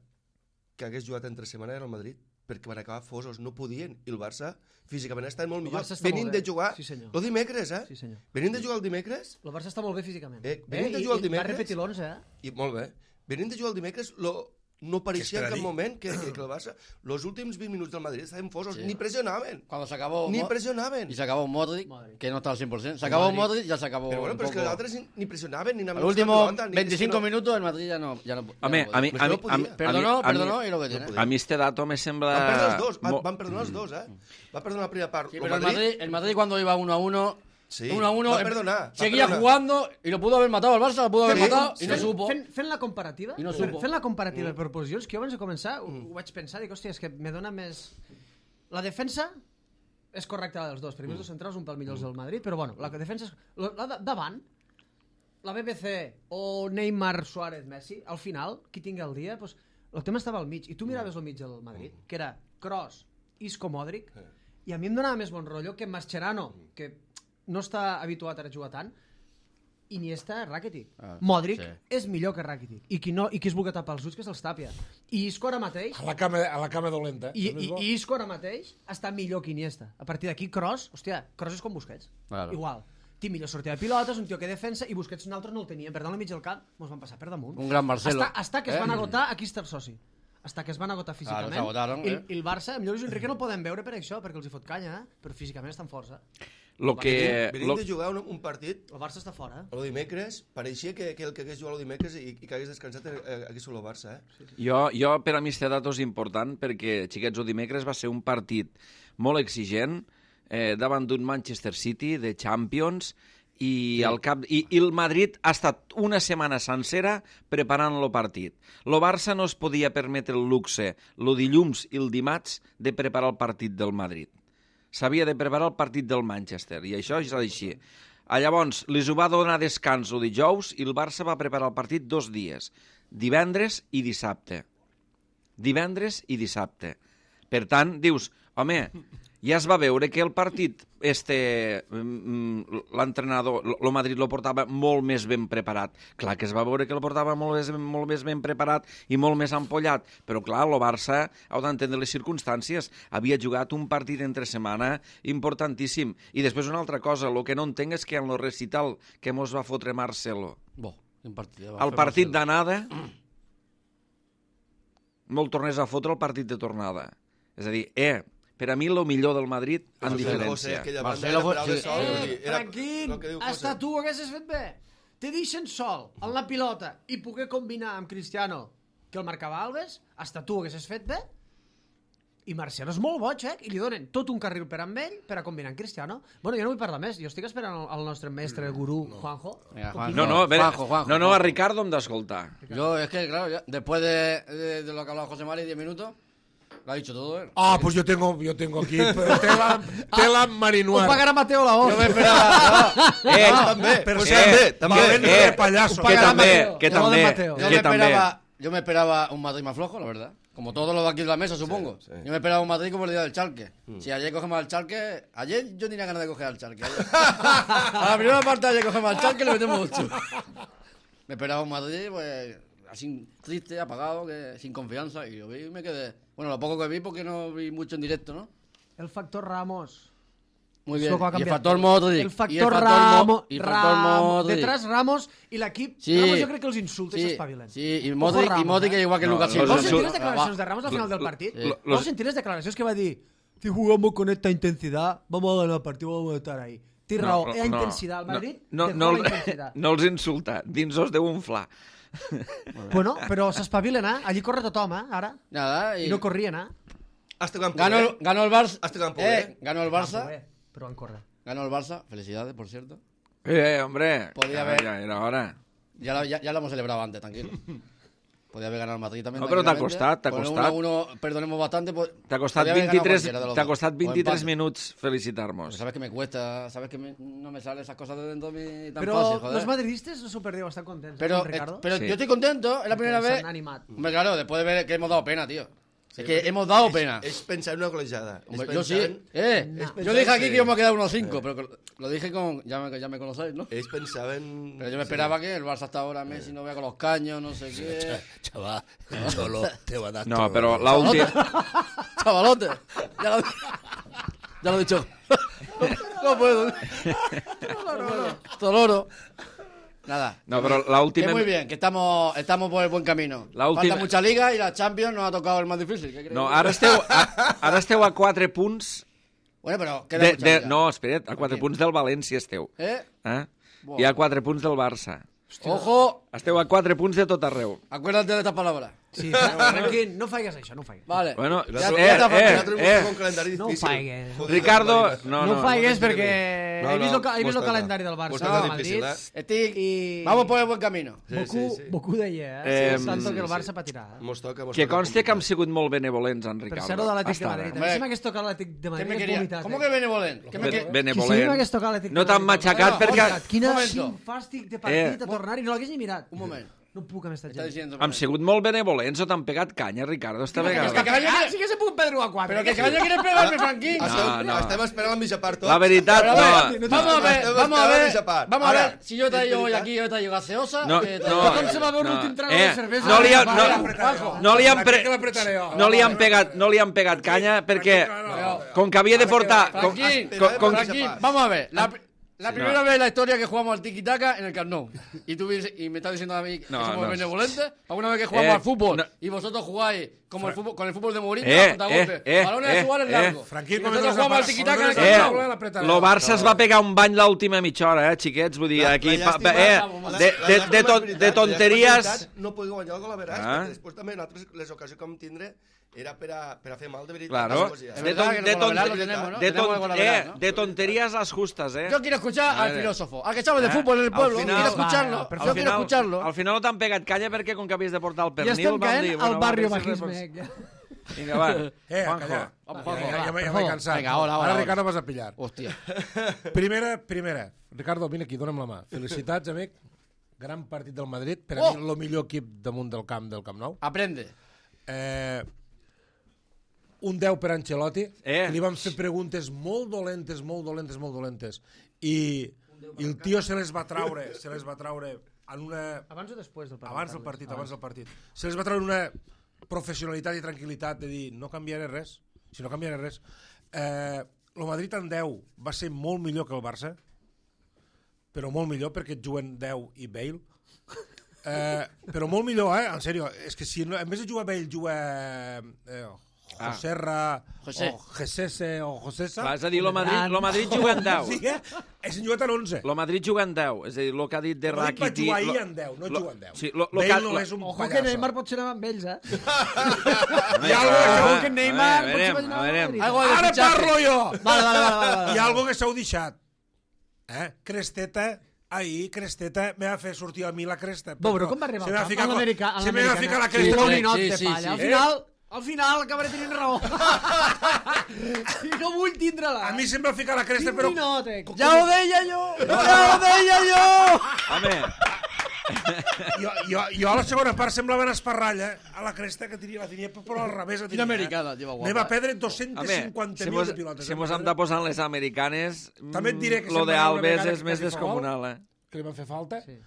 que hagués jugat entre setmana era el Madrid, perquè van acabar fosos, no podien, i el Barça físicament està molt El millor. Barça està Venint molt bé. de jugar, Sí, senyor. el dimecres, eh? Sí, senyor. Venint de jugar el dimecres, El Barça està molt bé físicament. Eh, Bé, venint de i- jugar el i va dimecres- repetir l'onze, eh? i molt bé, venint de jugar el dimecres, lo, no pareixia Què en cap espera dir? moment que, que, que el Barça, los últims vint minuts del Madrid estaven fosos, Sí. ni pressionaven, Cuando se acabó... ni Mo- pressionaven. Y se acabó Modric, Modric. que no estaba al cien por ciento. Se acabó Modric. Modric, ya se acabó Però bueno, un però és que poco... els altres ni, ni pressionaven, ni Al anaven a último buscar pelota, ni- veinticinco és que no- minutos el Madrid ya no... Ya no ya Home, no a mi, podía. a mi, no podia. a mi, Perdonó, a mi- perdonó y lo que tiene. podía. a mi este dato me sembla... Van perdre els dos, van, mo- van perdonar els dos, eh? Va perdonar la primera part. Sí, el pero el Madrid, Madrid, el Madrid cuando iba uno a uno Sí, uno a uno. va em- perdonar, va Seguía perdonar. jugando y lo pudo haber matado el Barça, lo pudo haber Sí, matado y no Fent- supo. Fent, fent la comparativa, I no fent, supo. fent la comparativa per posicions, que jo abans de començar ho, ho vaig pensar, dic, hòstia, és que me dona més... La defensa és correcta la dels dos, perquè els dos centrals un pèl millors del Madrid, però bueno, la defensa és... La, la de- davant, la B B C o Neymar, Suárez, Messi, al final, qui tingui el dia, doncs, el tema estava al mig, i tu miraves el mig del Madrid, que era Kroos, Isco, Modric, i a mi em donava més bon rotllo que Mascherano, que no està habituat a jugar tant, Iniesta, Rakitic. Ah, Modric sí. és millor que Rakitic. I qui, no, i qui es vulgui tapar els ulls, que se'ls tapia. I Isco ara mateix... A la cama, a la cama dolenta. I, també és i, bo. I Isco ara mateix està millor que Iniesta. A partir d'aquí, Kroos, hòstia, Kroos és com Busquets. Claro. Igual. Té millor sortida de pilotes, un tio que defensa, i Busquets nosaltres no el teníem. Per tant, al mig del camp, mos van passar per damunt. Un gran Marcelo. Hasta, hasta que es Eh? van agotar, aquí està el soci. Hasta que es van agotar físicament. Claro, s'agotaron, I, eh? I el Barça, millor Luis Enrique no el podem veure per això, perquè els hi fot canya, eh? Però físicament estan força. Lo que... Venim Lo... de jugar un, un partit El Barça està fora, eh? el dimecres, pareixia que, que el que hagués jugat el dimecres i, i que hagués descansat eh, hagués sigut el Barça, eh? Jo, jo per a mi este dato és important perquè, xiquets, el dimecres va ser un partit molt exigent eh, davant d'un Manchester City de Champions i, sí. al cap, i, i el Madrid ha estat una setmana sencera preparant el partit. El Barça no es podia permetre el luxe el dilluns i el dimarts de preparar el partit del Madrid. S'havia de preparar el partit del Manchester, i això és així. Llavors, li ho va donar descans el dijous i el Barça va preparar el partit dos dies, divendres i dissabte. Divendres i dissabte. Per tant, dius, home, ja es va veure que el partit, este, l'entrenador, el Madrid lo portava molt més ben preparat. Clar que es va veure que el portava molt més, molt més ben preparat i molt més ampollat, però clar, el Barça, heu d'entendre les circumstàncies, havia jugat un partit entre setmana importantíssim. I després una altra cosa, el que no entenc és que en el recital que mos va fotre Marcelo, Bo, quin partit. va el fer partit Marcelo. d'anada, no el tornés a fotre el partit de tornada. És a dir, eh, per a mi el millor del Madrid en José, diferència. aquella Marcelo banda era fue- de sol, Eh, vull dir, era tranquil, el que diu hasta José. tu ho haguessis fet bé. Te deixen sol en la pilota i poder combinar amb Cristiano, que el marcava Alves, hasta tu ho haguessis fet bé. I Marcelo és molt boig, eh? I li donen tot un carril per amb ell per a combinar amb Cristiano. Bueno, jo no vull parlar més. Jo estic esperant el, el nostre mestre, el gurú, Juanjo. Venga, que Juanjo. opini. No, no, a veure, Juanjo, Juanjo, no, no, a Juanjo. Ricardo hem d'escoltar. Yo, es que, claro, ya, después de, de, de lo que ha hablado José Mari, diez minutos, lo ha dicho todo, ¿eh? Ah, pues yo tengo, yo tengo aquí tela, tela Ho marinuar. pagarà Mateo la voz. Yo me esperaba... Eh, també, Per pues cert, també, també. valent eh, de pallasso. ho que pagarà també, Mateo. que La voz de també, Mateo. Yo me, que també. esperaba, yo me esperaba un Madrid más flojo, la verdad. Como todos los de aquí de la mesa, supongo. Sí, sí. Yo me esperaba un Madrid como el día del Chalque. Si ayer cogemos al Chalque... Ayer yo tenía ganas de coger al Chalque. Ayer. A la primera parte ayer cogemos al Chalque y le metemos ocho. Me esperaba un Madrid, pues, así triste, apagado, que sin confianza. Y yo vi y me quedé... Bueno, lo poco que vi porque no vi mucho en directo, ¿no? El factor Ramos. Muy Això bien. ho ha Y el canviat factor tot. Modric. El factor y el factor Ramos. Mo- y el factor Ramos. Modric. Detrás Ramos i l'equip. Sí. Ramos jo crec que els insulta i Sí, s'espavilen. sí, y Ojo Modric, y Ramos, Modric eh? es igual que No, Lucas los Silva. Vau sentir insult- les declaracions de Ramos al final del partit? Sí. Vau sentir les declaracions que va dir si jugamos con esta intensidad, vamos a ganar el partido, vamos a estar ahí. Té raó, no, no, intensitat. El Madrid no, té no, la no, intensitat. no els insulta, dins os deu inflar. Bueno, però s'espavilen, eh? Allí corre tothom, eh? Ara. Nada, y I no corrien, eh? Hasta campo, ganó, el, eh? ganó el Barça. Hasta campo, eh, eh. ganó el Barça. Bé, però van córrer. Ganó el Barça. Felicidades, por cierto. Eh, hombre, Podía ja, haber- ja era hora. Ya, la- ya, ya lo hemos celebrado antes, tranquilo. Podía haber ganado el Madrid también. No, pero te ha tranquilamente. costat, t'ha Con un costat. uno a uno, perdonemos bastante. Pues, T'ha costat podía haber ganado vint-i-tres, cualquiera de los t'ha dos. costat O vint-i-tres empate. minuts Pero felicitar-nos. sabes que me cuesta, sabes que me- no me salen esas cosas de dentro de mí tan Però fácil, joder. los madridistes no s'ho perdiu, estan contents. Pero, eh, Ricardo? eh, pero Sí. yo estoy contento, es la primera S'han vez. animat. Hombre, claro, después de ver que hemos dado pena, tío. Es que hemos dado pena. És pensar en una golejada. És Hombre, yo sí. pensar en- Eh, No. és yo pensar dije en aquí que- que íbamos a quedar uno cinco, pero lo dije con. Ya me, ya me conocéis, ¿no? Ells pensaven... Pero yo me esperaba que el Barça hasta ahora Messi no vea con los caños, no sé qué. Chaval, solo te va a dar No, todo. però l'última... Chavalote. Ya lo, ya lo he dicho. No puedo. Toloro. Nada. No, però Que l'última... muy bien, que estamos, estamos por el buen camino. La última- Falta mucha liga y la Champions nos ha tocado el más difícil. ¿Qué crees? No, ara esteu, a, ara esteu a quatre punts... Bueno, pero queda De, mucha de, liga. no, espera't, a quatre Aquí. punts del València esteu. ¿Eh? Eh? Buah. I a quatre punts del Barça. Ojo, Esteu a quatre punts de tot arreu. acuérdate de estas palabras. Sí, tranquil, no faigues això, no ho faigues. Vale. Bueno, Ja, eh, ja, eh, eh, eh. un calendari No ho difícil. faigues. Joder, Ricardo, calendari. no, No no. ho faigues no, perquè no, he vist el, no, he vist el mos calendari del toca. Barça Mos del toca Madrid difícil, eh? Estic... i Vamos por el buen camino. Sí, Bocú, sí, sí. Bocú deia, eh? Eh, Sí, tanto que el sí, Barça sí. patirà. Eh? Mos toca, mos Que toca conste que hem complicat. sigut molt benevolents, en Per Ricardo. ser-ho de l'Atlètic de Bastant, Madrid. eh? A mi sí m'hagués tocat l'Atlètic de ¿Qué Madrid. me és quería? vomitat, ¿Cómo eh? que benevolent? ¿Qué me Be- que... Que sí Benevolent. m'hagués tocat l'Atlètic No de t'han Madrid. matxacat No, perquè... hòstia, Quina Un momento. quin fàstic de partit Eh. a tornar i no l'hagués ni mirat. Un moment. No puc amb esta Está gent. diciendo... Hem sigut molt benevolents o t'han pegat canya, Ricardo, esta que vegada? que caña Ah, quiere- sí que se puc perdre a quatre. Pero que caña quiere pegarme, Frankie. No, Estem, no. estem esperant la mitja part, tots. La veritat, Pero a ver, no. vamos a ver, Estem vamos a esperant la ver, mitja part. vamos a Ara, ver, si yo te és digo hoy veritat. aquí, yo te digo gaseosa, No, que te- no, Com se va veure no. l'últim trago Eh, de cervesa? no li ha- Va, no- va, Juanjo. No li han, pre... Que l'apretaré jo. no li han pegat, no li han pegat canya perquè com que havia de portar com, Franquín, com, com, Franquín, vamos a ver, la, la Sí, primera no. vez en la historia que jugamos al tiki-taka en el Camp Nou. Y tú vienes- y me estás diciendo a mí que No, somos no. benevolentes. Alguna vez que jugamos Eh, al fútbol no. y vosotros jugáis como el fútbol, con el fútbol de Mourinho, Eh, contragolpe, eh, eh, balones eh, a Suárez eh. largo. Franquí, Y com nosotros és jugamos al la- tiki-taka en el com Camp és Nou. la- eh, l'apretaré. lo Barça es va pegar un bany l'última mitja hora, eh, xiquets, vull dir, La- aquí la pa, llàstima- pa, eh, la- de, la de, llàstima de, és ton, veritat, de la tonteries... llàstima és veritat, No podeu guanyar el gol a veràs, Ah. perquè després també en altres les ocasions que vam tindre era per a, per a fer mal de veritat. Claro, Coses Es així. de, verdad ton, que de, el golaveral ton, lo tenemos, ¿no? de, Tenemos el ton, golaveral, eh, ¿no? de tonterías las justas, eh. Yo quiero escuchar A al ver. filósofo, al que sabe de Eh, fútbol en el al pueblo. final- Quiero escucharlo. Va, Yo perfecte. quiero escucharlo. Al final no t'han pegat canya perquè com que havies de portar el Ja pernil estem vam caent dir... al Bueno, barri va, sí, bajisme. sí, Vinga, va, Eh, Juanjo. calla. Vamos, Ja, Juanjo, ja, va, ja, por ja favor. m'he cansat. Venga, hola, hola, Ara, hola. Ricardo, vas a pillar. Hostia. Primera, primera. Ricardo, vine aquí, dona'm la mà. Felicitats, amic. Gran partit del Madrid. Per a Oh! mi, el millor equip damunt del camp del Camp Nou. Aprende. Eh, un deu per Ancelotti, Eh. que li van fer preguntes molt dolentes, molt dolentes, molt dolentes. I, i el tio se les va traure, se les va traure en una... Abans o després del partit? Abans del partit, abans del partit. Se les va treure una professionalitat i tranquil·litat de dir no canviaré res, si no canviaré res. Eh, el Madrid en deu va ser molt millor que el Barça, però molt millor perquè et juguen deu i Bale. Eh, però molt millor, eh? En sèrio, és que si no, en vez de jugar Bale juga eh, Joserra José. o Gesese o Josesa, Va, és a dir, lo Madrid, lo Madrid juga en deu. sí, eh? És en jugat en onze. Lo Madrid juga en deu. És a dir, lo que ha dit de El Madrid va Rakiti... jugar ahir lo- en deu, no lo- juga en deu. Sí, lo, lo Bale que, no lo, és un Ojo que pallasso. Neymar pot ser amb ells, eh? Hi ha algo que- Ojo que Neymar A pot ser veure, amb a veure. Madrid. Algo de Ara fichaje. parlo jo! Vale, vale, vale, vale, vale. Hi ha algo que s'heu deixat. Eh? Cresteta, ahir Cresteta me va fer sortir a mi la cresta. Bo, però com va arribar Se al me va camp? ficar A con- l'americà- a Se me va l'americana. ficar la Sí, cresta. un sí, ninot sí, de sí, palla. sí. Al Eh? final, al final acabaré tenint raó. I no vull tindre-la. A mi se'm va ficar la cresta, Quin però... ninot, eh? Ja ho deia jo! Ja ho deia jo! home, Jo, jo, jo a la segona part semblava una esparralla a la cresta que tenia, la tenia però al revés. la Quina tenia, americana, tio, guapa. Me va perdre dos-cents home, cinquanta si mil mos, de pilotes. si em mos va hem perdre. de posar en les americanes, També et diré que mm, lo se'n de va anar una Alves vegada és que més quasi fa descomunal, gol. eh? Que li van fer falta. Sí.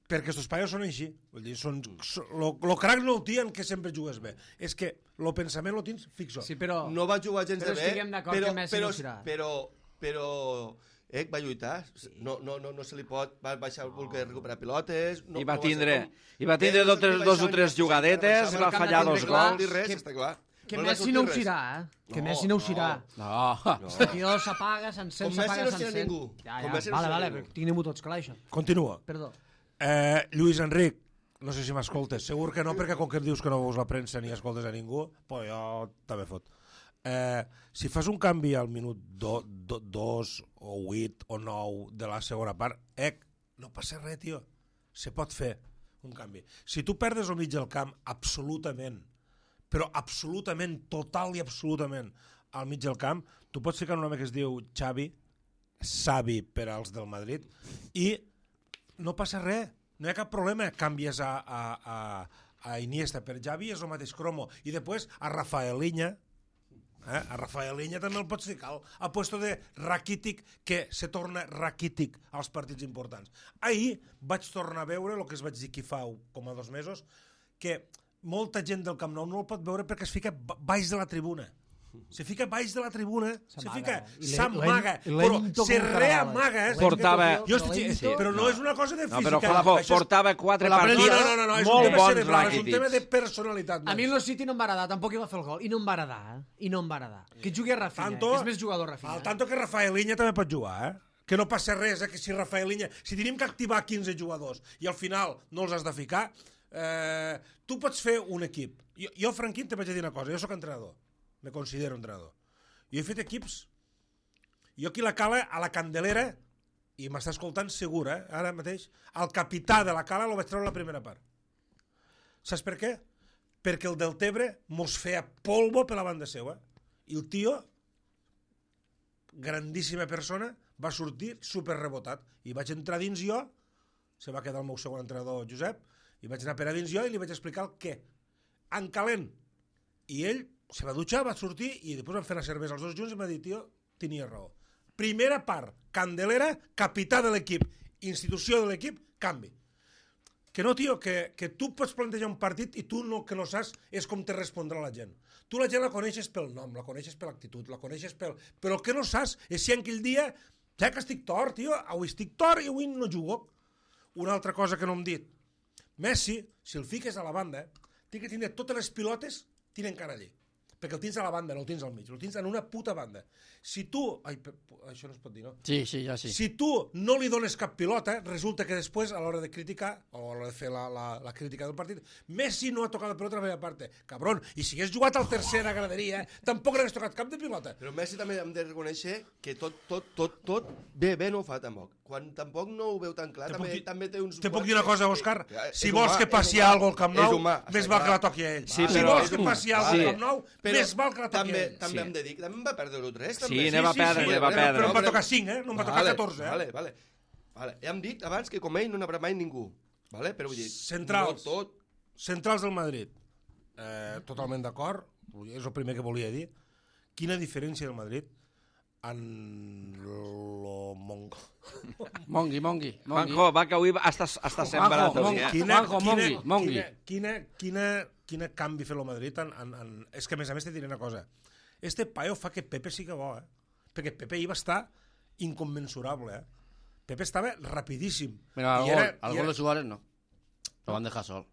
Perquè estos paios són així. Vull dir, són, so, lo, lo crac no ho tien que sempre jugues bé. És que lo pensament lo tens fixo. Sí, però... No va jugar gens Però de bé, estiguem d'acord però, que Messi però, no serà. però, però, eh, va lluitar. No, no, no, no se li pot... Va baixar voler recuperar pilotes... No, I va no ser tindre, com- i va tindre Eh, dos, tres, que dos o baixaven tres i jugadetes, baixaven va al camp fallar de dos tindre clar, gols. dir res, Que- està clar. Que No li va Messi no ho sortir res. serà, eh? Que No, Messi no ho no. serà. No. El tio s'apaga, s'encén, Com Messi s'apaga, no serà s'encén. ningú. Ja, Com ja, Messi no vale, serà vale, ningú. tinguem-ho tots clar, això. Continua. Perdó. Eh, Lluís Enric, no sé si m'escoltes. Segur que no, perquè com que dius que no veus la premsa ni escoltes a ningú, pues jo també fot. Eh, si fas un canvi al minut do, do, dos o vuit o nou de la segona part, eh, no passa res, tio. Se pot fer un canvi. Si tu perdes al mig del camp, absolutament, però absolutament, total i absolutament, al mig del camp, tu pots ficar un home que es diu Xavi, Xavi per als del Madrid, i no passa res, no hi ha cap problema. Canvies a, a, a, a Iniesta per Xavi, és el mateix cromo. I després a Rafaeliña, eh? a Rafaeliña també el pots ficar a puesto de Rakitic, que se torna Rakitic als partits importants. Ahir vaig tornar a veure el que es vaig dir aquí fa com a dos mesos, que molta gent del Camp Nou no el pot veure perquè es fica ba- baix de la tribuna. Se fica baix de la tribuna, se S'amaga. fica, I le- s'amaga, lent- però lento se com un reamaga. carabal. Portava- Jo estic, Lento. però no, és una cosa de No, física. però Juanjo, Això és- portava quatre la partits No, no, no, no, és un molt tema bons cerebral, és un tema de Rakitic. personalitat. A mi el City no em va agradar, tampoc hi va fer el gol, i no em va agradar, eh? I no em va agradar. Que jugui a Rafinha, Tanto, que és més jugador Rafinha. Al tanto que Rafaeliña també pot jugar, eh? Que no passa res, eh? Que si Rafaeliña... Si tenim que activar quinze jugadors i al final no els has de ficar, Eh, tu pots fer un equip. Jo, jo Franquín, te vaig dir una cosa, jo sóc entrenador, me considero entrenador. Jo he fet equips, jo aquí la cala, a la Candelera, i m'està escoltant segur, eh, ara mateix, el capità de la cala lo vaig treure la primera part. Saps per què? Perquè el del Tebre mos feia polvo per la banda seva. I el tio, grandíssima persona, va sortir super rebotat. I vaig entrar dins jo, se va quedar el meu segon entrenador Josep, i vaig anar per a dins jo i li vaig explicar el què. En calent. I ell se va dutxar, va sortir i després vam fer una cervesa els dos junts i m'ha dit, tio, tenia raó. Primera part, Candelera, capità de l'equip, institució de l'equip, canvi. Que no, tio, que, que tu pots plantejar un partit i tu no, que no saps és com te respondrà la gent. Tu la gent la coneixes pel nom, la coneixes per l'actitud, la coneixes pel... Però el que no saps és si en aquell dia, ja que estic tort, tio, avui estic tort i avui no jugo. Una altra cosa que no hem dit. Messi, si el fiques a la banda, té que tindre totes les pilotes, tiren cara allí. Perquè el tens a la banda, no el tens al mig, el tens en una puta banda. Si tu... Ai, això no es pot dir, no? Sí, sí, ja sí. Si tu no li dones cap pilota, resulta que després, a l'hora de criticar, o a l'hora de fer la, la, la crítica del partit, Messi no ha tocat la pilota a la meva part. Cabron, i si hagués jugat al tercer a graderia, tampoc n'hagués tocat cap de pilota. Però Messi també hem de reconèixer que tot, tot, tot, tot bé, bé no ho fa tampoc. Quan tampoc no ho veu tan clar, Te també, puc dir- també té uns... Te puc dir una cosa, Òscar? Eh, Si és vols humà, que passi és humà, alguna cosa al Camp és Nou, humà, més està val que clar. la toqui a ell. Sí, Si però- vols que passi alguna cosa Sí. al Camp Nou, Però més val que la toqui també, a ell. també Sí. hem de dir que també em va perdre l'u tres, Sí, també. ne va perdre, ne va però, perdre. però em va tocar cinc, eh? No em va tocar Vale, catorze, eh? Vale, vale. Vale. Ja hem dit abans que com ell no n'haurà mai ningú. Vale? Però vull dir, Centrals. no tot... Centrals del Madrid. Eh, totalment d'acord. És el primer que volia dir. Quina diferència del Madrid en lo mongo. Mongui, mongui, mongui. Juanjo, va, que avui està, està sembrat. Juanjo, avui, eh? quina- Juanjo, mongui, mongui. Quina, quina, quina, quina canvi fer el Madrid en, en, en... És que a més a més te diré una cosa. Este paio fa que Pepe sigui bo, eh? Perquè Pepe ahir va estar inconmensurable, eh? Pepe estava rapidíssim. Mira, al I gol, era- al i gol era- de Suárez no. Lo van dejar sol.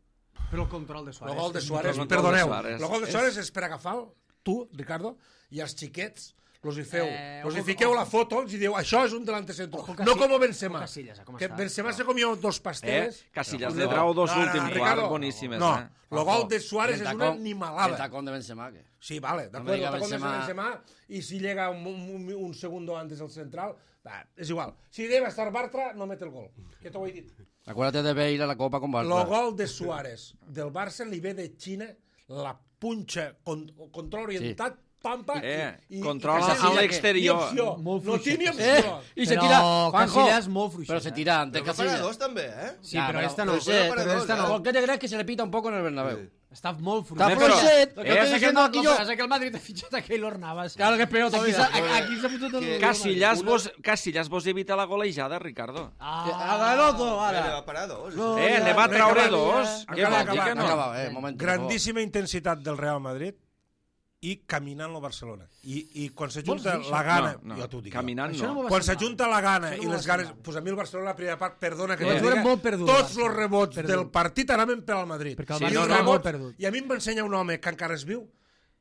Però el control de Suárez. El gol de és Suárez, El gol de perdoneu, Suárez. el gol de Suárez és per agafar tu, Ricardo, i els xiquets los hi feu, Eh, los hi ojo, fiqueu ojo. la foto, els hi diu, això és un delante centro. Ojo, No Casi- com Benzema. ojo, Casillas, com Que està? Benzema se comió dos Eh? pasteles. Casillas No, le trau dos no, no, últims Ricardo, quarts boníssimes, no, eh? el gol de Suárez El és tacón- una El animalada. tacón de Benzema, ¿qué? Sí, vale, de No me acuerdo, diga el tacón de Benzema. Benzema, y si llega un, un, un segundo antes el central, va, és igual. Si debe estar Bartra, no mete el gol. Que t'ho he dit. Acuérdate de Bale a la Copa con El Barça. gol de Suárez del Barça li ve de Xina, la punxa, con, control orientat, pampa... Eh, i, i, control i a Casillas, l'exterior. ni opció, Molt no té ni fluixet. opció. Eh, y se Però tira, Juanjo, Casillas molt fluixet, pero se eh? tira antes Però que para Casillas. dos també, eh? Sí, Ya, però pero- esta no. pero sí, Però pero esta dos, no. ¿Por qué te crees que se le pita un poco en el Bernabéu? Sí. Està molt Está fluixet. però- fluixet, lo eh, que estoy Passa que diciendo no, aquí lo yo. que passa que el Madrid ha fitxat a Keylor Navas. Claro que es peor Aquí todavía. s'ha aquí s'ha fotut el... Casillas Una- vos, Casillas vos evita la golejada, Ricardo. Ah, Haga el otro, Vale, ahora. va parar dos. No, Eh, ya, ne va venga, traure venga, dos. ya. Què Acaba, vol dir acaba, que no? Acaba, eh, momento, por favor. Grandíssima intensitat del Real Madrid i caminant el Barcelona. I, i quan s'ajunta Vols dir la això? gana... No, no, jo t'ho dic. caminant Això no no. m'ho va Quan semblar. s'ajunta la gana Això no i m'ho les va ganes... semblar. Pues a mi el Barcelona la primera part, perdona que Vaig t'ho veure diga, molt perdut, tots el Barça. els rebots Perdut. del partit anaven per al Madrid. Perquè el I Barça els estava rebots- molt perdut. I a mi em va ensenyar un home que encara es viu,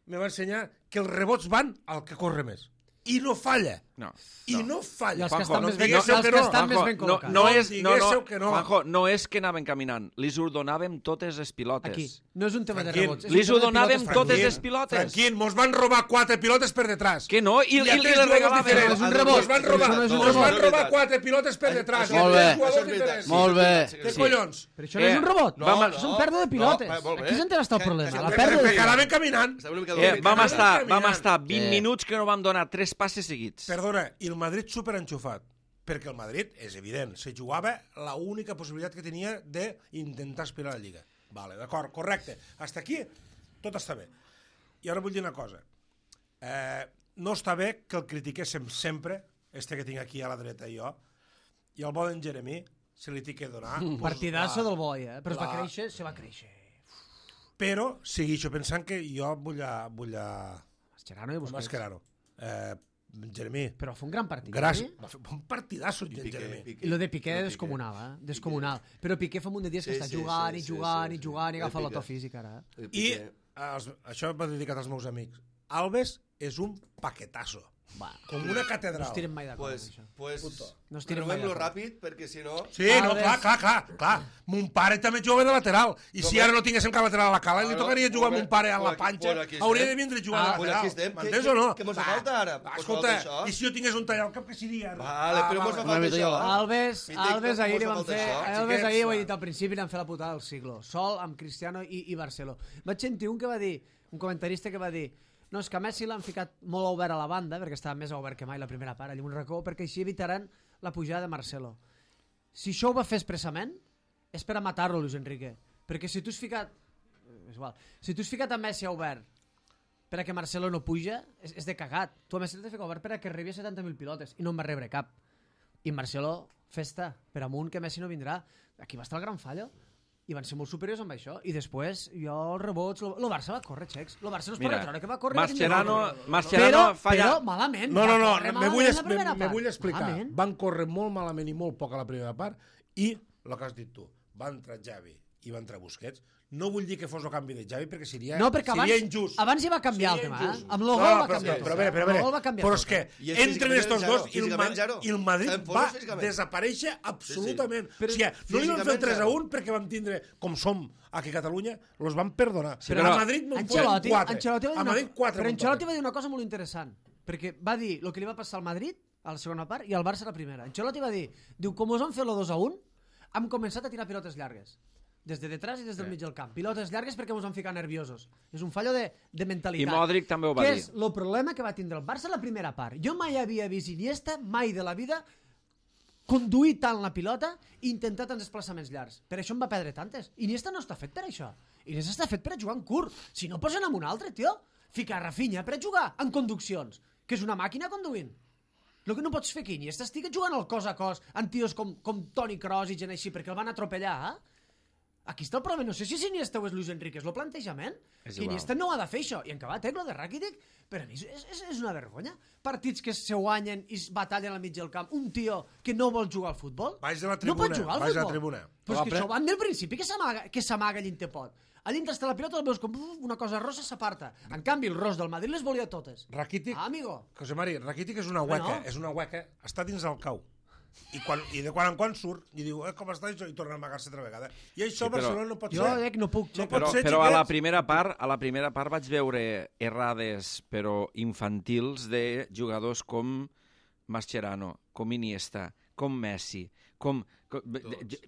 me va ensenyar que els rebots van al que corre més. I no falla. No. I no falla. I els que Juanjo, estan no més ben, diguéssiu els que que no. estan més Juanjo, ben no, col·locats. no No és, no, no, diguéssiu que no. Juanjo, no és que anaven caminant, li us donàvem totes les pilotes. Aquí. No és un tema de Tranquil. rebots. és Li un tema ho de donàvem pilotes totes perdudes. les pilotes. Tranquil, mos van robar quatre pilotes per detrás. Que no? I, i, a i, tres les jugadors regalàvem. diferents. És un rebot. Mos van robar, Això no és un mos van rebot. robar quatre pilotes per detrás. Molt I bé. tres jugadors Això és veritat. diferents. Molt bé. Què Sí. collons? Però això no és Eh, un rebot. vam- No, és un pèrdua de pilotes. No, molt bé. Aquí és on està el Que- problema. que- La que- pèrdua de Perquè anaven caminant. Estava una mica Eh, dolent. vam, anaven estar, caminant. vam estar vint Eh. minuts que no vam donar tres passes seguits. Perdona, i el Madrid superenxufat. Perquè el Madrid, és evident, se jugava la única possibilitat que tenia d'intentar aspirar a la Lliga. Vale, d'acord, correcte. Hasta aquí tot està bé. I ara vull dir una cosa. Eh, no està bé que el critiquéssim sempre, este que tinc aquí a la dreta jo, i el bo d'en Jeremí se li té que donar... pues, Partidasso la- del boi, eh? Però es va la- créixer, se va créixer. Però segueixo pensant que jo vull a... Vull a... Mascherano i Busquets. Mascherano. Eh, Jeremí, Però fa un gran partit. gràcies. Eh? Va fer un partidasso, en Piqué, Jeremí. Piqué. I lo de Piqué Lo descomunal, eh? Descomunal. Però Piqué fa un munt de dies que Sí, està sí, jugant sí, i sí, jugant sí, i sí. jugant i El agafa Piqué. l'auto físic ara. eh? El I Piqué. els, això va dedicat als meus amics. Alves és un paquetazo. Va. Com una catedral. No es tiren mai d'acord Pues, amb això. pues, Puto. No es tiren mai renovem-lo d'acord. ràpid, perquè si no... Sí, no, Alves. clar, clar, clar, clar. Mon pare també juga de lateral. I No, si però- ara no tinguéssim cap lateral a la cala, li Bueno, tocaria jugar amb bueno, mon pare a la bueno, aquí- panxa. bueno, aquí estem. Hauria de vindre a jugar Ah, de bueno, lateral. aquí estem. M'entens Què- o no? què mos Va, falta ara? va, Mos Escolta, falta això? i si jo tingués un tall al cap, què seria? Vale, Ah, però va, mos va. fa falta Una això. mica Alves, Mític, Alves com ahir us li ha van faltat fer... això? Alves Xiquets, ahir, ho he va. dit al principi, li van fer la putada del siglo. Sol amb Cristiano i, i Barceló. Vaig sentir un que va dir, un comentarista que va dir no, és que a Messi l'han ficat molt obert a la banda, perquè estava més obert que mai la primera part, allà en un racó, perquè així evitaran la pujada de Marcelo. Si això ho va fer expressament, és per a matar-lo, Luis Enrique. Perquè si tu has ficat... És igual. Si tu has ficat a Messi a obert per a que Marcelo no puja, és, és de cagat. Tu a Messi l'has ficat obert per a que arribi a setanta mil pilotes i no en va rebre cap. I Marcelo, festa, per amunt, que Messi no vindrà. Aquí va estar el gran fallo. I van ser molt superiors amb això. I després, jo, els rebots... Lo, lo Barça va córrer, xecs. Lo Barça no es pot retreure que va córrer. Mascherano, però, Mascherano falla... però malament. No, no, no, va córrer me malament vull, la es, me, primera me part. vull explicar. Malament. Van córrer molt malament i molt poc a la primera part i, el que has dit tu, va entrar Xavi i va entrar Busquets. No vull dir que fos el canvi de Xavi perquè seria, No, perquè seria abans, injust. abans ja va canviar Seria el tema, injust. eh? Amb lo No, gol va però, canviar però, tot. però, a veure, però, a Amb lo veure, gol va canviar però tot. és que I és entren físicament estos zero, dos i el, físicament Ma- zero. i el Madrid Estem va forts físicament. desaparèixer absolutament. Sí, Sí, sí. O sigui, no li van fer el físicament tres a zero. un perquè vam tindre, com som aquí a Catalunya, los van perdonar. Sí, però però- a Madrid no en Ancelotti, foren quatre. Ancelotti va dir A una, Madrid quatre. però en Ancelotti total. va dir una cosa molt interessant, perquè va dir el que li va passar al Madrid a la segona part i al Barça a la primera. Ancelotti va dir, diu, com us han fet lo dos a un, hem començat a tirar pilotes llargues. Des de detrás i des del mig del camp. Pilotes llargues perquè ens han ficat nerviosos. És un fallo de, de mentalitat. I Modric també ho va que dir. és el problema que va tindre el Barça a la primera part. Jo mai havia vist Iniesta, mai de la vida, conduir tant la pilota i intentar tants desplaçaments llargs. Per això en va perdre tantes. Iniesta no està fet per això. Iniesta està fet per a jugar en curt. Si no, posen amb un altre, tio. Ficar Rafinha per a jugar en conduccions, que és una màquina conduint. El que no pots fer aquí, Iniesta estigui jugant al cos a cos amb tios com, com Toni Kroos i gent així, perquè el van atropellar, eh? Aquí està el problema, no sé si és Iniesta o és Luis Enrique, és el plantejament. És Que igual. Iniesta no ha de fer això. I en acabat, eh, lo de Rakitic, per a mi és, és, és una vergonya. Partits que se guanyen i es batallen al mig del camp. Un tio que no vol jugar al futbol, Vaig a la no tribuna, pot jugar al vaig a la futbol. tribuna. Però és que Però això van del principi, que s'amaga que s'amaga allà on te pot. Allà on està la pilota el veus com uf, una cosa rossa s'aparta. En canvi, el ros del Madrid les volia totes. Rakitic, Ah, amigo. José Mari, Rakitic és una Home, hueca, no. és una hueca, està dins del cau. I, quan, i de quan en quan surt i diu, eh, com està això? I torna a amagar-se altra vegada. I això Sí, a però- Barcelona no pot Jo ser. dec, no puc. No Xavi. pot Però, ser, però a la xiquets. primera part a la primera part vaig veure errades però infantils de jugadors com Mascherano, com Iniesta, com Messi, com, com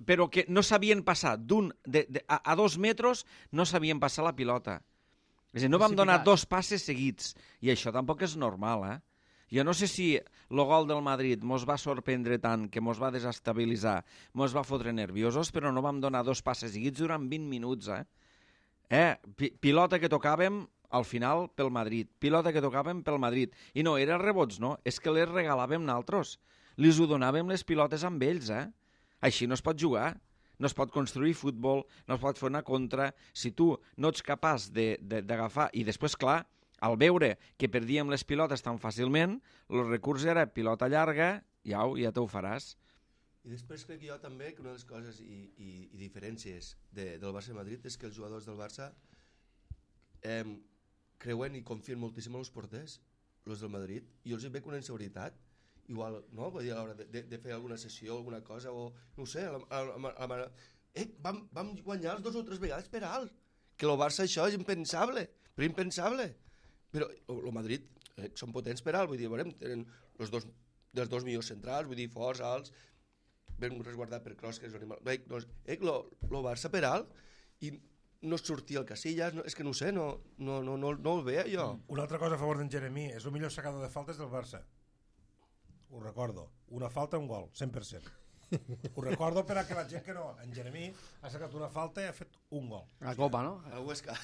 però que no sabien passar d'un de, de, a, a dos metres, no sabien passar la pilota. És a dir, no vam donar Precipitat. dos passes seguits i això tampoc és normal, eh? Jo no sé si el gol del Madrid mos va sorprendre tant que mos va desestabilitzar, mos va fotre nerviosos, però no vam donar dos passes seguits durant vint minuts, eh? Eh? Pi pilota que tocàvem al final pel Madrid, pilota que tocàvem pel Madrid. I no, eren rebots, no, és que les regalàvem naltros. Lis ho donàvem les pilotes amb ells, eh? Així no es pot jugar. No es pot construir futbol, no es pot fer una contra. Si tu no ets capaç d'agafar... I després, clar, al veure que perdíem les pilotes tan fàcilment, el recurs era pilota llarga, ja, ja te ho faràs. I després crec jo també que una de les coses i, i, i diferències de, del Barça i Madrid és que els jugadors del Barça eh, creuen i confien moltíssim en els porters, els del Madrid, i jo els hi veig una inseguretat, igual, no? Vull dir, a l'hora de, de, de fer alguna sessió, alguna cosa, o no ho sé, a la, a la, a la, eh, vam, vam guanyar els dos o tres vegades per alt, que el Barça això és impensable, però impensable. Però el Madrid eh, són potents per alt, vull dir, veurem, tenen els dos, dels dos millors centrals, vull dir, forts, alts, ben resguardat per Kroos, que és un animal... Bé, doncs, eh, lo, lo Barça per alt, i no sortia el Casillas, no, és que no ho sé, no, no, no, no, no el veia jo. Una altra cosa a favor d'en Jeremí, és el millor sacador de faltes del Barça. Ho recordo. Una falta, un gol, cent per cent. Ho recordo per a que la gent que no... En Jeremí ha sacat una falta i ha fet un gol. La copa, no? A Huesca.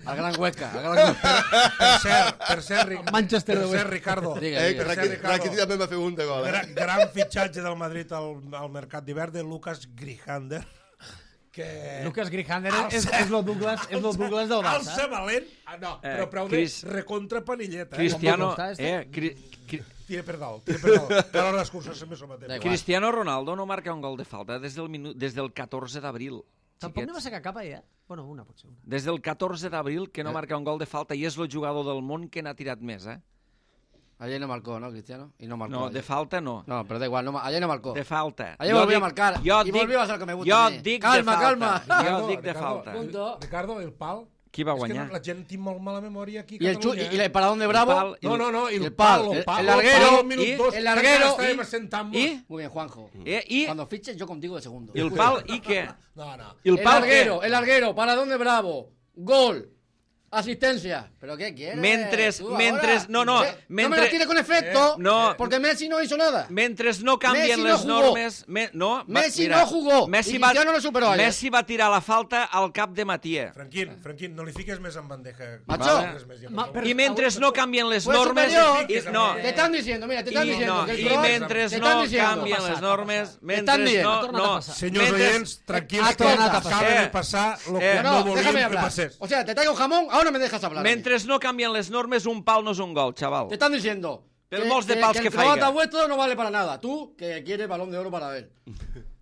El gran Huesca. El gran Huesca. Per cert, per cert, Ric- Manchester per de cert Huesca. Ricardo, Digue, Eh, digue. per cert, Rakitic Ricardo, Rakitic també va fer un de gol, eh? gran, gran fitxatge del Madrid al, al mercat d'hivern de Lucas Grijander, que... Lucas Grijander Al és, ser- és el Douglas, és el Douglas del Al Barça. ser valent... Ah, no, Eh, però prou Cris- de recontra panilleta. Eh? Cristiano, com està, este? eh, cri, cri, Tira per dalt, tira per dalt. Que a l'hora d'excursió sempre s'ho matem. Da igual. Cristiano Ronaldo no marca un gol de falta des del, minu, des del catorze d'abril. Tampoc no va sacar cap ahir, eh? Bueno, una potser, una. Des del catorze d'abril que no marca un gol de falta i és el jugador del món que n'ha tirat més, eh? Ayer no marcó, ¿no, Cristiano? Y no marcó. No, ayer. de falta no. No, pero da igual, no, ayer no marcó. De falta. Ayer volvió a marcar. Jo y dic, volvió a ser el que me gusta. jo a mí. dic calma, de falta. calma. Jo Ricardo, dic de Ricardo, falta. Punto. Ricardo, el pal... Qui va És que guanyar? no, la gent tinc molt mala memòria aquí a Y el, chu- Catalunya. y, y el paradón de Bravo. El pal, No, no, no, i el, el pal, el, el- pal, el larguero, pal, minut i- dos, el larguero, estàvem i- assentant-nos. I, Muy bien, Juanjo. eh, i, Cuando fiches, yo contigo de segundo. i el pal i què? No, no. I el El pal larguero, què? el larguero, paradón de Bravo. Gol. Asistencia. ¿Pero qué quieres? Mentres- tú mentres- ahora? no, no, Eh, No me mentre- la tires con efecto. Eh, no. Porque Messi no hizo nada. Mentre no canvien Messi no les jugó. normes... Me, no, va- Messi mira, no jugó, Messi i va, Cristiano lo superó ayer. Messi va tirar la falta al cap de Matier. Franquín, Franquín, no li fiques més en bandeja. Macho. Res més, ja, per Ma- favor. per- I mentre no canvien les Fue normes... superior. I, no, Te están diciendo, mira, te están I, diciendo no, que el i Kroos- mentre te no están diciendo. canvien les normes... Estan Mentre dient. no... Ha tornat a no passar. Senyors mentre- oients, tranquils, Ha que tornat a acaba passar. de passar lo que Eh, No, no no, volíem déjame que hablar. passés. O sea, te traigo jamón, ahora me dejas hablar. Mentre no canvien les normes, un pal no és un gol, xaval. Te están diciendo Pero molts de pals que el croata faiga. vuestro no vale para nada. Tú, que quieres balón de oro para él.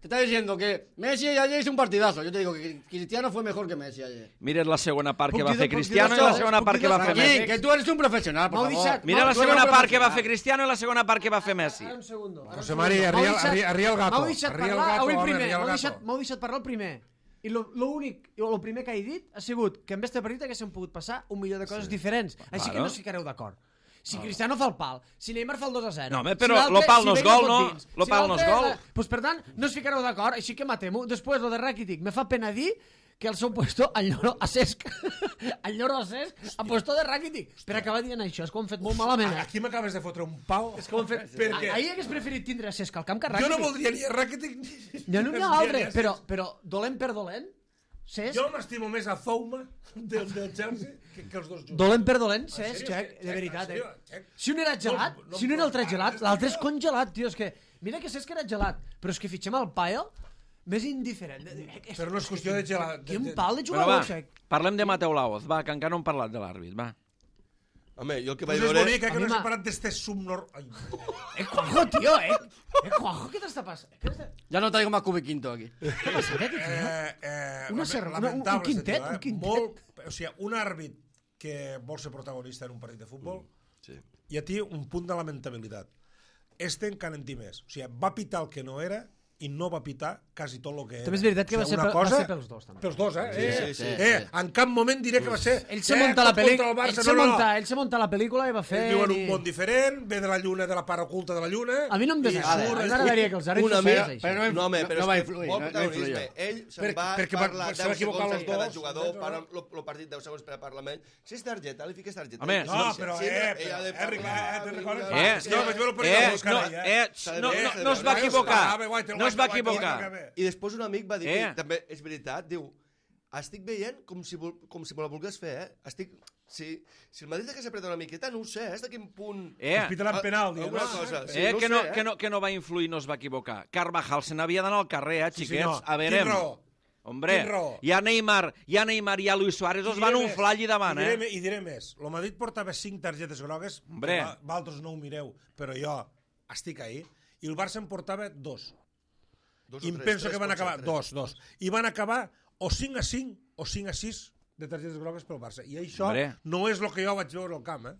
Te está diciendo que Messi ayer hizo un partidazo. Yo te digo que Cristiano fue mejor que Messi ayer. Mira la segona part que Puc va dir- fer puc dir Cristiano i dos la coses? segona Puc part dir que va dos fer coses? Messi. Aquí, que tú eres un profesional, por M'heu favor. deixat- Mira la Tú eres segona un part que va profesional. fer Cristiano i la segona part que va fer Messi. Ara un segundo. Ara un José segundo. Mari, M'heu arria- deixat- arria- arria el gato. M'heu deixat Arria el parlar, gato, avui home, primer. arria el M'heu gato. deixat, m'heu deixat parlar el primer. I lo- l'únic, o el primer que he dit ha sigut que en este partit haguéssim pogut passar un milió de coses diferents. Així que Claro. no us ficareu d'acord. Si Cristiano fa el pal, si Neymar fa el dos a zero... No, home, si però l'altre- lo pal no si és Vega gol, fot no? dins, Lo si pal no és l'altre- gol. Pues, per tant, no us ficareu d'acord, així que matem-ho. Després, lo de Rakitic, me fa pena dir que el seu puesto, el lloro a Cesc, el lloro a Cesc, ha puesto de Rakitic. Per acabar dient això, és que ho han fet molt malament. Eh? Aquí m'acabes de fotre un pal. És que ho han fet... Perquè Ahir hagués preferit tindre a Cesc al camp que a jo Rakitic. no voldria ni a Rakitic ni... Ja no n'hi ha ni altre, a- però, però dolent per dolent, Cesc... Jo m'estimo més a Zouma del, del Chelsea que, que els dos junts. Dolent per dolent, En Cesc, sèrio, Xec, Xec, de en veritat, sèrio, eh? Xec. Si un era gelat, No- no si un em era altre parles, gelat, tio. l'altre és congelat, tio, és que... Mira que Cesc era gelat, però és que fitxem el Pael més indiferent. Però no és qüestió de gelat. Quin pal de Bueno, va, jugador, Xec. parlem de Mateu Laoz, va, que encara no hem parlat de l'àrbit, va. Home, jo el que Pues vaig és veure... bonic, eh, A que mi no m'ha- s'ha parat d'este subnor... Ai, Eh, Juanjo, tio, eh? Eh, Juanjo, què t'està passant? Què t'està Ya no traigo más cubi quinto aquí. què passant, eh, tio? eh, eh, Una lame- serra- una- un- un lamentable, quintet, este tio, eh? un quintet. Molt, o sigui, un àrbit que vol ser protagonista en un partit de futbol Sí. i a ti un punt de lamentabilitat. Este encara en té més. O sigui, va pitar el que no era i no va pitar quasi tot el que era. També és veritat que va ser una pel- va cosa- ser pels dos, també. Pels dos, eh? eh, sí, sí, eh sí. En cap moment diré que va ser... Ell se eh, munta la tot contra pel·lícula, el Barça. ell se No, no, no. munta, ell se munta la pel·lícula i va fer... Ells viuen i- un món diferent, ve de la lluna, de la part oculta de la lluna... A mi no em i desagrada. surt- A mi m'agradaria que els àrbits Una fossin mica, així. però no- No, home, no- però no va és que influir, molt no- no protagonisme. influïa. Ell se'n Per- va perquè va- parlar se va deu equivocar segons els en cada dos, jugador, no, no. para el partit deu segons per a Parlament. Si és targeta, li fiques targeta. Home, I No, si- però, si eh, ella però, ha de eh, Ricardo, parlar, eh, te'n recordes? Eh, És que vaig veure el partit eh, de Buscar no, ahir, eh, S'ha de no, veure, no, s'ha de no es va veure. equivocar, Ah, bé, guaita, no es va guaita, equivocar. guaita, guaita. I després un amic va dir Eh. que també és veritat, diu, estic veient com si, vol, com si me la volgués fer, eh? Estic, si, si el Madrid hagués apretat una miqueta, no ho sé, és de quin punt... Eh, Es pitaran penal, diu, Alguna no? cosa. Sí, eh, no que, ho no, sé, eh? que, no, que no va influir, no es va equivocar. Carvajal se n'havia d'anar al carrer, eh, Sí, xiquets, senyor. a veure. Quin raó? Hombre, Quin raó? hi ha Neymar, hi ha Neymar i hi ha Luis Suárez, els I van diré unflar més, allí davant, i diré, eh? me- I diré més. El Madrid portava cinc targetes grogues, Hombre. que va- vosaltres no ho mireu, però jo estic ahí, i el Barça en portava dos. Dos I o em tres, penso tres que van pot ser, acabar, tres. dos, dos. I van acabar o cinc a cinc o cinc a sis de targetes grogues pel Barça. I això Hombre. no és el que jo vaig veure al camp, eh?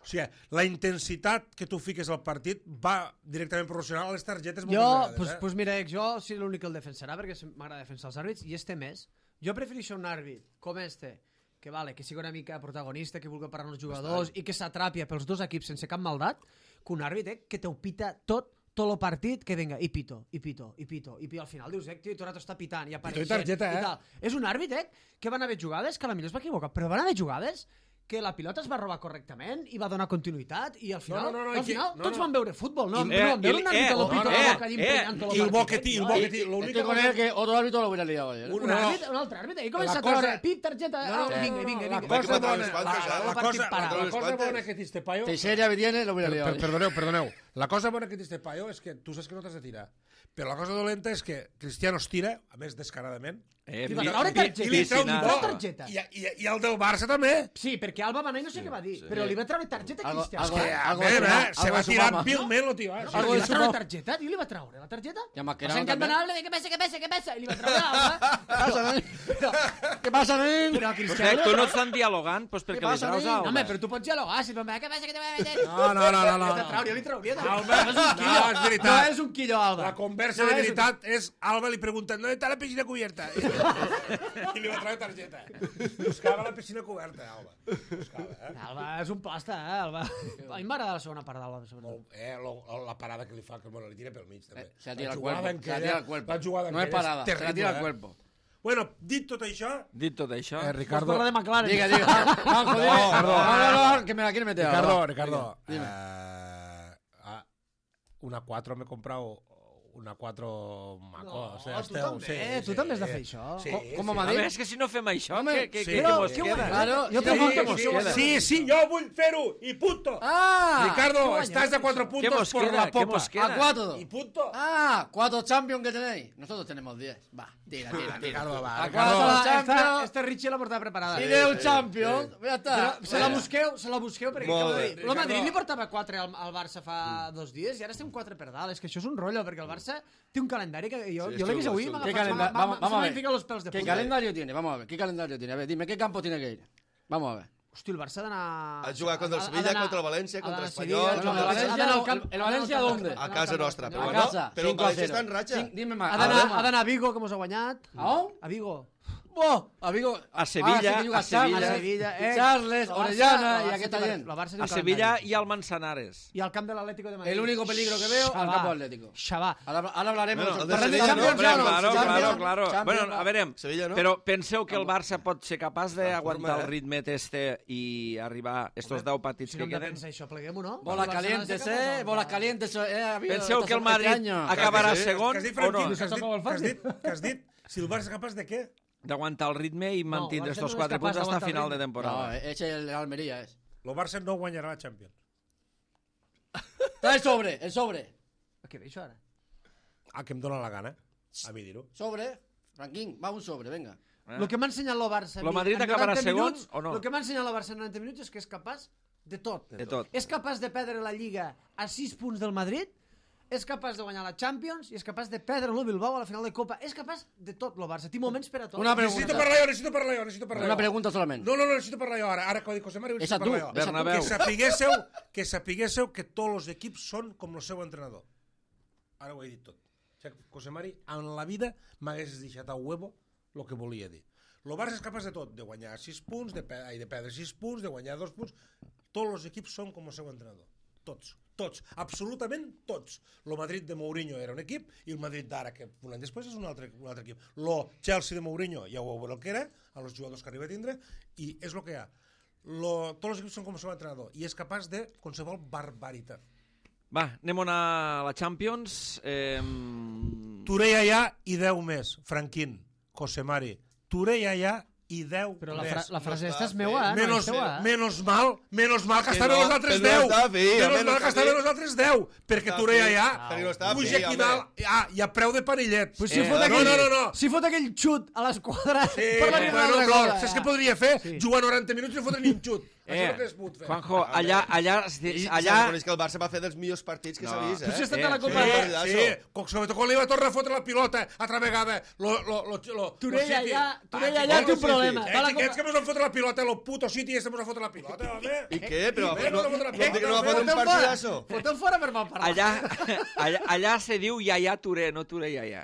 O sigui, la intensitat que tu fiques al partit va directament proporcional a les targetes moltes Jo, vegades, pues, eh? pues mira, jo sí l'únic que el defensarà perquè m'agrada defensar els àrbits i este més. Jo prefereixo un àrbit com este, que vale, que sigui una mica protagonista, que vulgui parlar amb els jugadors i que s'atrapi pels dos equips sense cap maldat, que un àrbit eh, que te ho pita tot tot el partit, que venga, i pito, i pito, i pito, i pito. Al final dius, eh, tio, i tot el rato està pitant i apareixent. i targeta, eh? I tal. És un àrbit, eh, que van haver jugades, que a la millor es va equivocar, però van haver jugades que la pilota es va robar correctament i va donar continuïtat i al final, No, no, no, al aquí- final no, tots no. van veure futbol, no? I- no eh, vam veure i- un àrbit eh, a lo no, pito no, de la eh, boca allí eh, emprenyant tot I el el bo partit. que té, el eh? bo que I- té, Estoy l'única con él cosa... que otro árbitro lo hubiera liado ayer. ¿eh? Un No, no. àrbit, un altre àrbit, i comença La a treure cosa- pip, targeta, No, no, ah, no, vinga, no, vinga, la vinga. cosa vinga, bona- vinga, la- vinga, La el partit cosa, parat. la les cosa quantes? bona que té este paio... Si seria viene, lo hubiera Per, liado per, ayer. perdoneu, perdoneu. La cosa bona que té este paio és que tu saps que no t'has de tirar. Però la cosa dolenta és que Cristiano es tira, a més descaradament, Eh, Li va pi- treure pi- targeta. i li treu un piscinada. gol. targeta. I, i, i el del Barça també. Sí, perquè Alba va anar i no sé què va dir, però li va treure targeta a Algo- Cristiano. algo- És Eh, algo a veure, de su- eh, se algo va de su tirar mama. pilment, el tio. Eh? No, Sí, li sí, va sí, treure no. targeta, i li va treure la targeta. Ja Mascherano Va ser també. encantanable de que pesa, que pesa, que pesa, i li va treure l'alba. Però, Què passa, nen? Però Pues Cristiano... bé, tu no estan dialogant, doncs perquè li passa, traus nen? a No, Alba. home, però tu pots dialogar, si no me què passa que te va a meter? No, no, no, no, no. Jo te trauria, li trauria. també. Alba, No és un quillo, no, és veritat. no és un quillo, Alba. La conversa No de és un- veritat és Alba li pregunta ¿dónde está la piscina cubierta? I li va traure targeta. Buscava la piscina coberta, Alba. Buscava, eh? Alba és un plasta, eh, Alba. A mi m'agrada la segona part d'Alba, sobretot. Molt, eh, lo, la parada que li fa, que bueno, li tira pel mig, també. Eh, se la tira La al jugada cuerpo. en Se la aquella- tira al cuerpo. la jugada en No es aquella parada, se la terrible, tira al eh? cuerpo. Bueno, dit tot això, Dit tot això... eh, Ricardo... Ricardo... Parla de McLaren. Diga, diga. Juanjo, dime. No, No, no, no, que me la quiere meter. Ricardo, ahora. Ricardo, Dime. eh, ah, una cuatro me he comprado una cuatro maco. No, o sea, tu este- també, sí, tu sí. també has de fer això. Sí, Com- sí. com a A Madrid? veure, és que si no fem això, Home, què, què, sí. què, Però, què mos què queda? guanyem? Claro, Jo sí, pregunto sí, què mos sí, queda. Sí, sí, yo voy Perú y punto. Ah, Ricardo, guanyem, estás a cuatro ¿Qué puntos mos por queda? la ¿Qué popa. mos queda? a cuatro. Y punto. Ah, cuatro champions que tenéis. Nosotros tenemos diez. Va, tira, tira, tira. Ricardo, va, A Ricardo. cuatro Esta, champions. este Richie la portava preparada. Y de un champion. Ya está. Però se la busqueu, se la busqueu perquè Molt acabo bé. de dir, el Madrid Ricardo. li portava quatre al, al Barça fa dos dies i ara estem quatre per dalt. És que això és un rotllo, perquè el Barça té un calendari que jo, Sí, jo l'he vist xulo, avui i xulo. m'ha ¿Qué agafat, calenda- m'ha- vamos- m'ha- vamos a se m'han ver. ficat los pèls de ¿Qué punta. calendario tiene? Vamos a ver, ¿qué calendario tiene? A ver, dime, ¿qué campo tiene que ir? Vamos a ver. Hosti, el Barça ha d'anar... A jugar contra el ha- ha Sevilla, d'anar- contra el València, ha contra d'anar a Espanyol, Sevilla, contra ha el d'anar- Valencia ha d'anar al no, camp- el- el ha d'anar al Valencia camp- ¿dónde? ha d'anar A al casa camp- nostra, ha però d'anar A al bueno, casa, però el cinco a València cero. està en ratxa. Cin- Dime más. Ha d'anar Dime más. ha d'anar a Vigo, que mos ha guanyat. ¿A on? A Vigo. Bo, a Vigo. A Sevilla, Ah, sí que juga a Sevilla. Charles, A Sevilla, eh. Charles, El Barça- Orellana el y Barça aquesta té- gent. el Barça té un A Sevilla calendari. i al Manzanares. I al camp de l'Atlético de Madrid. El único peligro que veo al Xavà. campo atlético. Xavà. Ahora, ahora hablaremos. Bueno, el de Parlem de Sevilla, Champions, no, ja Hombre, no. claro, Champions, claro, claro. Champions, Bueno, va. a veure, Sevilla, no? però penseu que el Barça pot ser capaç d'aguantar forma, el eh? ritme este i arribar a estos deu partits Si que no hem de queden? pensar això, pleguem-ho, no? Bolas El Barça calientes, no sé cap eh. on Bolas va. calientes. Eh, ha habido Penseu esta que el semana, este Madrid año. acabarà sí. segon Que has dit, o Franquín, no? que has dit, que has dit, que has dit, si el Barça és capaç de què? D'aguantar el ritme i mantindre el Barça estos no és quatre capaç punts fins a d'aguantar el final de ritme. No, temporada. ese es el Almería, es. El Barça no guanyarà la Champions. Trae el sobre, el sobre. Què ve això ara? A que em dóna la gana, a mi dir-ho. Sobre, Franquín, va un sobre, venga. Eh? El que m'ha ensenyat el Barça... a Lo mi Madrid en acabarà noranta segon minuts, o no? El que m'ha ensenyat el Barça en noranta minuts és que és capaç de tot. De tot. És capaç de perdre la Lliga a sis punts del Madrid, és capaç de guanyar la Champions i és capaç de perdre el Bilbao a la final de Copa. És capaç de tot, el Barça. Té moments per a tot. Una Necessito pregunta. parlar jo, necessito parlar jo, necessito parlar Una jo. pregunta solamente. No, no, no, necessito parlar jo ara. Ara que ho dic José Mario, Esa necessito tú, parlar jo. esa tú. Bernabéu. Que sapiguésseu, que sapiguésseu que tots els equips són com el seu entrenador. Ara ho he dit tot. O sigui, José Mari, en la vida m'hagués deixat a huevo el que volia dir. El Barça és capaç de tot, de guanyar sis punts, de, pe de perdre sis punts, de guanyar dos punts. Tots els equips són com el seu entrenador. Tots, tots, absolutament tots. El Madrid de Mourinho era un equip i el Madrid d'ara, que un any després és un altre, un altre equip. El Chelsea de Mourinho ja ho veureu el que era, a els jugadors que arriba a tindre, i és el que hi ha. Lo, tots els equips són com el seu entrenador i és capaç de qualsevol barbaritat. Va, anem a la Champions. Eh... Touré allà i deu més, Franquín, José Mari. Touré allà i deu Però la, més. fra la frase No esta està és meua, eh? Menos, no és teua, eh? menos mal, menos mal que Que estaven no, els altres que no deu. està fi, Menos almenys mal està que estaven fi. els altres deu. Perquè Està Touré fi. allà Perquè no està puja fi, aquí home. dalt ah, i a preu de parillet. Pues si, Eh, fot no, aquell, no, no, no. si fot aquell xut a l'esquadra, Sí, parlaríem bueno, d'altra però cosa. saps què podria fer? Jugar noranta minuts i no fotre ni un xut. Això és Eh, el que es pot fer. Juanjo, allà, allà, I allà, s'ha que el Barça va fer dels millors partits que No. s'ha vist, Tu si has eh? estat Eh, a la Sí, Copa... sí. sí, com, sobretot quan li va tornar a fotre la pilota altra vegada. Lo, lo, lo, lo, Turell lo City. allà, Turell Ah, allà té un City. problema. Eh, Va a la xiquets Copa- que mos han fotre la pilota, lo puto City este mos ha fotre la pilota, home. I què? Però Eh, no, no fotre la no, pilota, no va home. fotre un Foteu fora, partidazo. foteu fora per mal parlar. allà, allà, allà se diu Yaya Touré, no Touré Yaya.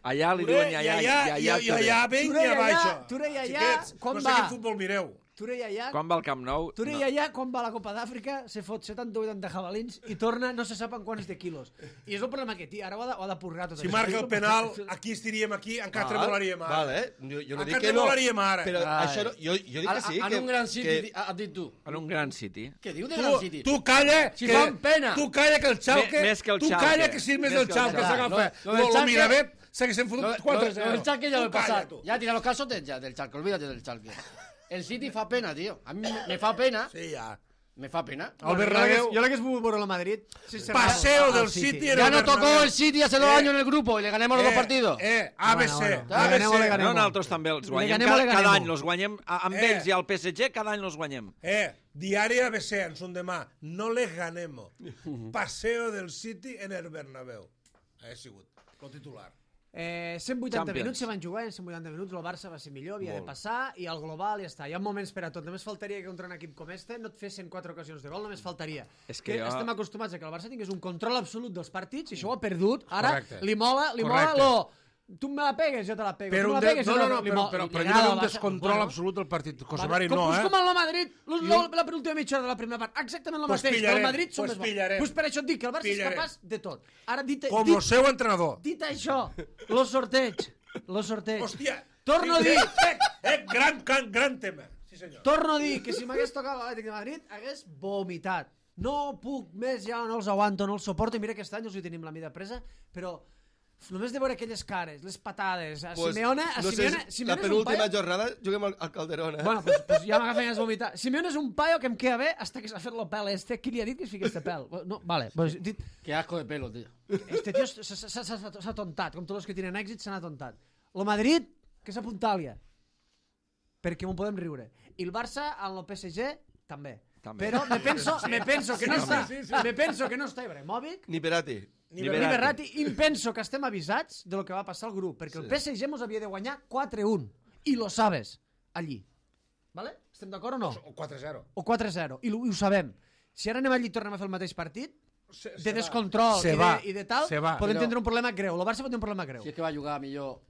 Allà li diuen Yaya, Yaya, Yaya i Touré. allà venga Turell allà, abaixo. Turell allà, Xiquets, com no sé va? quin futbol mireu. Turell allà, Quan va al Camp Nou? Turell allà, quan va a la Copa d'Àfrica, se fot setanta o vuitanta jabalins i torna no se sap en quants de quilos. I és el problema que té. Ara ho ha de, ho ha de purgar tot Si això. marca el penal, aquí estiríem aquí, encara tremolaríem ara. Vale, eh? Jo, jo no Encara dic que no. tremolaríem ara. Però Ai. això no, jo, jo dic que sí. En que, un gran City, que, has dit tu. En un gran City. Què diu de Tu, gran City? tu calla, Si que, fan pena. tu calla que el Xalque, Me- més que el tu Schalke. calla que si més Més del que el Xalque Schalke. s'agafa. Lo- lo Lo, del lo Schalke- Miravet s'haguessin Lo, fotut lo, quatre lo zero. del Chalke ya lo he Tu calla, pasado. tu. Ya tira los casotes ya del Chalke, olvídate del Chalke. El City fa pena, tío. A mí me, me fa pena. Sí, ja. Me fa pena. El Bernabéu, Jo l'hagués volgut veure a Madrid. sense paseo al- al del City en Ya el nos tocó Bernabéu. el City hace dos Eh, años en el grupo y le ganamos los dos partidos. Eh, A B C. Bueno, bueno. A B Ganemos, le C. ganemos. No, nosaltres també els Le guanyem. ganem o Cada, le cada ganemos? any els guanyem. A- Amb Eh. ells i al P S G cada any els guanyem. Eh, diari A B C, en son demà. No les ganemos. Paseo del City en el Bernabéu. Ha sigut el titular. Eh, cent vuitanta Champions. minuts se van jugar, en cent vuitanta minuts el Barça va ser millor, havia Molt. de passar, i al global ja està. Hi ha moments per a tot. Només faltaria que contra un equip com este no et fes cent quatre ocasions de gol, només faltaria. És que que jo- estem acostumats a que el Barça tingués un control absolut dels partits, i això ho ha perdut. Ara Correcte. li mola, li mola Correcte. lo... Tu me la pegues, jo te la pego. Però tu un me de... la pegues, no, jo no, te la- no, li però, mo- però, li però agrada jo al un Barça. descontrol Bueno, absolut del partit. José Vale, Mari, com, no, pues eh? com en el Madrid, lo, Jo- lo, la penúltima mitja hora de la primera part, exactament el Pues mateix, però el pillarem, Madrid són pues més bons. pillarem. Pues per això et dic que el Barça Pillarem. és capaç de tot. Ara, dit, Com dit, el seu entrenador. dit això, lo sorteig, lo sorteig. Hòstia. Torno a Sí, dir, Eh, eh, gran, gran, gran tema. Sí, senyor. torno a dir que si m'hagués tocat l'Atlètic de Madrid, hagués vomitat. No puc més, ja no els aguanto, no els suporto, i mira que aquest any els hi tenim la mida presa, però només de veure aquelles cares, les patades, a Pues, Simeone, a no sé, Simeone, la Simeone és un penúltima paio... jornada juguem al, al Calderón, eh? Bueno, pues, pues ja m'agafen ganes de vomitar. Simeone és un paio que em queda bé hasta que s'ha fet el pèl este. Qui li ha dit que es fiqui este pèl? No, vale, pues dit, Qué asco de pelo, tío. este tio s'ha- s'ha s'ha- s'ha tontat, com tots els que tenen èxit s'han atontat. El Madrid, que s'apuntàlia, perquè m'ho podem riure. I el Barça, amb el P S G, també. També. Però me penso, me penso que no està, me penso que no està Ibrahimovic, Ni Perati. Ni ni Berratti. Berratti, i em penso que estem avisats de lo que va passar al grup, perquè el P S G mos havia de guanyar quatre un, i lo sabes, allí. Vale? Estem d'acord o no? O quatre zero. O quatre zero, i, lo- i ho sabem. Si ara anem allí i tornem a fer el mateix partit, Se, de descontrol Se i, va. de, i de tal, Se va. podem Però- tindre un problema greu. El Barça pot tenir un problema greu. Si es que va a jugar millor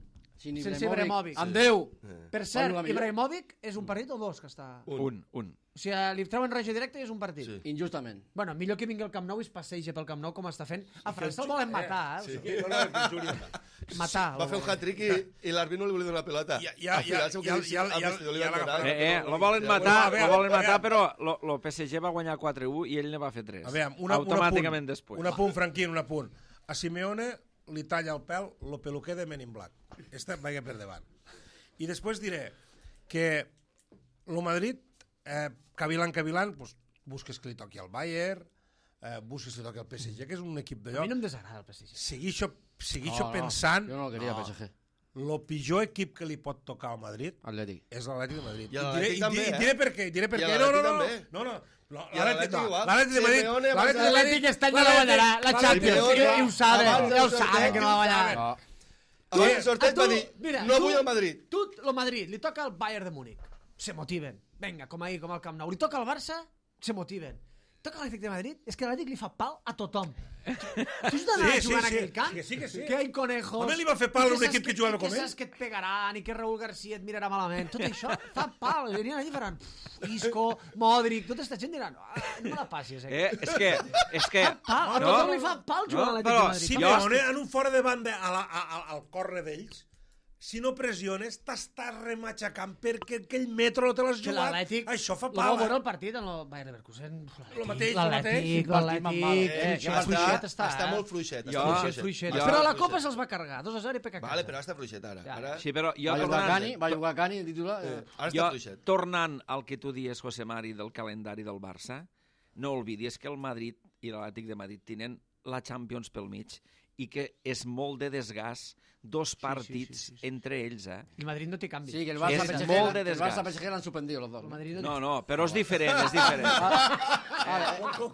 sin Sense Ibrahimovic. Ibrahimovic. Amb Déu. Per Va cert, jugar millor. Ibrahimovic és un partit o dos que està... Un, un. O sigui, li treuen regió directa i és un partit. Sí. Injustament. Bueno, millor que vingui al Camp Nou i es passeja pel Camp Nou com està fent. A França el volen matar, eh? Sí, no, no, que el Júlia. Matar. Va fer un hat-trick i, i l'àrbit no li volia donar la pelota. Ja- ja- Al final, ja- segur ja- que ja- al ja- vestidor li ja van donar. l'agafaron. Eh, eh, lo volen Ja, matar, a veure, lo volen a matar, veure. però lo, lo P S G va guanyar quatre u i ell ne va fer tres. A veure, una, Automàticament un apunt, després. Un apunt, Franquín, un apunt. A Simeone li talla el pèl lo peluquer de Men in Black. Este vaya per davant. I després diré que lo Madrid, eh, cavilant, cavilant, pues, busques que li toqui al Bayern, eh, busques que li toqui al P S G, que és un equip A d'allò. mi no em desagrada el P S G. Seguixo, seguixo No, no, pensant Yo no lo quería, P S G. lo pitjor equip que li pot tocar al Madrid Atlètic. és l'Atlètic de Madrid. I a l'Atlètic diré, també, i, eh? i diré per què, i diré per I a què. No, no, l'Atlètic no, també. no, no. no I a L'Atlètic no. igual. L'Atlètic de Madrid, Simeone va l'Atlètic de ser- Madrid, L'Atlètic este any no la guanyarà, la Champions. Simeone I, i ho sabe, abans del ja ho sabe sorteig, que no la guanyarà. No. Abans del sorteig A tu, va dir, mira, no tu- vull el Madrid. Tu, el Madrid, li toca al Bayern de Múnich. Se motiven. Vinga, com ahir, com al Camp Nou. Li toca al Barça, se motiven. Toca l'Atlètic de Madrid, és que l'Atlètic li fa pal a tothom. Tu has d'anar Sí, sí, jugant a sí. aquell camp? Que sí, que sí. Que hay conejos. Home, li va fer pal a i que un saps equip que jugava i com que ell. saps que et pegaran i que Raúl García et mirarà malament. Tot això fa pal. Venien allà i faran Isco, Modric, tota aquesta gent diran ah, no me la passis. Eh? Eh, és que... És que Pal, a no? tothom li fa pal jugar No, a l'Atlètic però de Madrid. Si Jo- Simeone en un fora de banda a la, a, a, al corre d'ells, si no pressiones, t'estàs rematxacant perquè aquell metro no te l'has Que jugat. l'Atlètic... Això fa Lo pal. vau veure Eh? el partit en el Bayern Leverkusen. Lo mateix, lo L'Atlètic, mateix. l'Atlètic, Eh, que està, fluixet està, està eh? molt fluixet. Jo- Està Fluixet, fluixet. Fluixet. Està Però a la fluixet. Copa se'ls va carregar, dos a zero i peca Vale, però ara està fluixet ara. Ja. ara... Sí, però jo Va jugar tornant, Cani, va jugar Cani, el titular. Eh. Ara està jo, fluixet. tornant al que tu dies, José Mari, del calendari del Barça, no oblidis que el Madrid i l'Atlètic de Madrid tenen la Champions pel mig i que és molt de desgast dos partits sí, sí, sí. entre ells, eh? I Madrid no té canvi. Sí, que el És Barça P S G, molt de el desgast. Barça P S G l'han suspendido los dos. El ¿no? Madrid no, No, no, però és diferent, és diferent.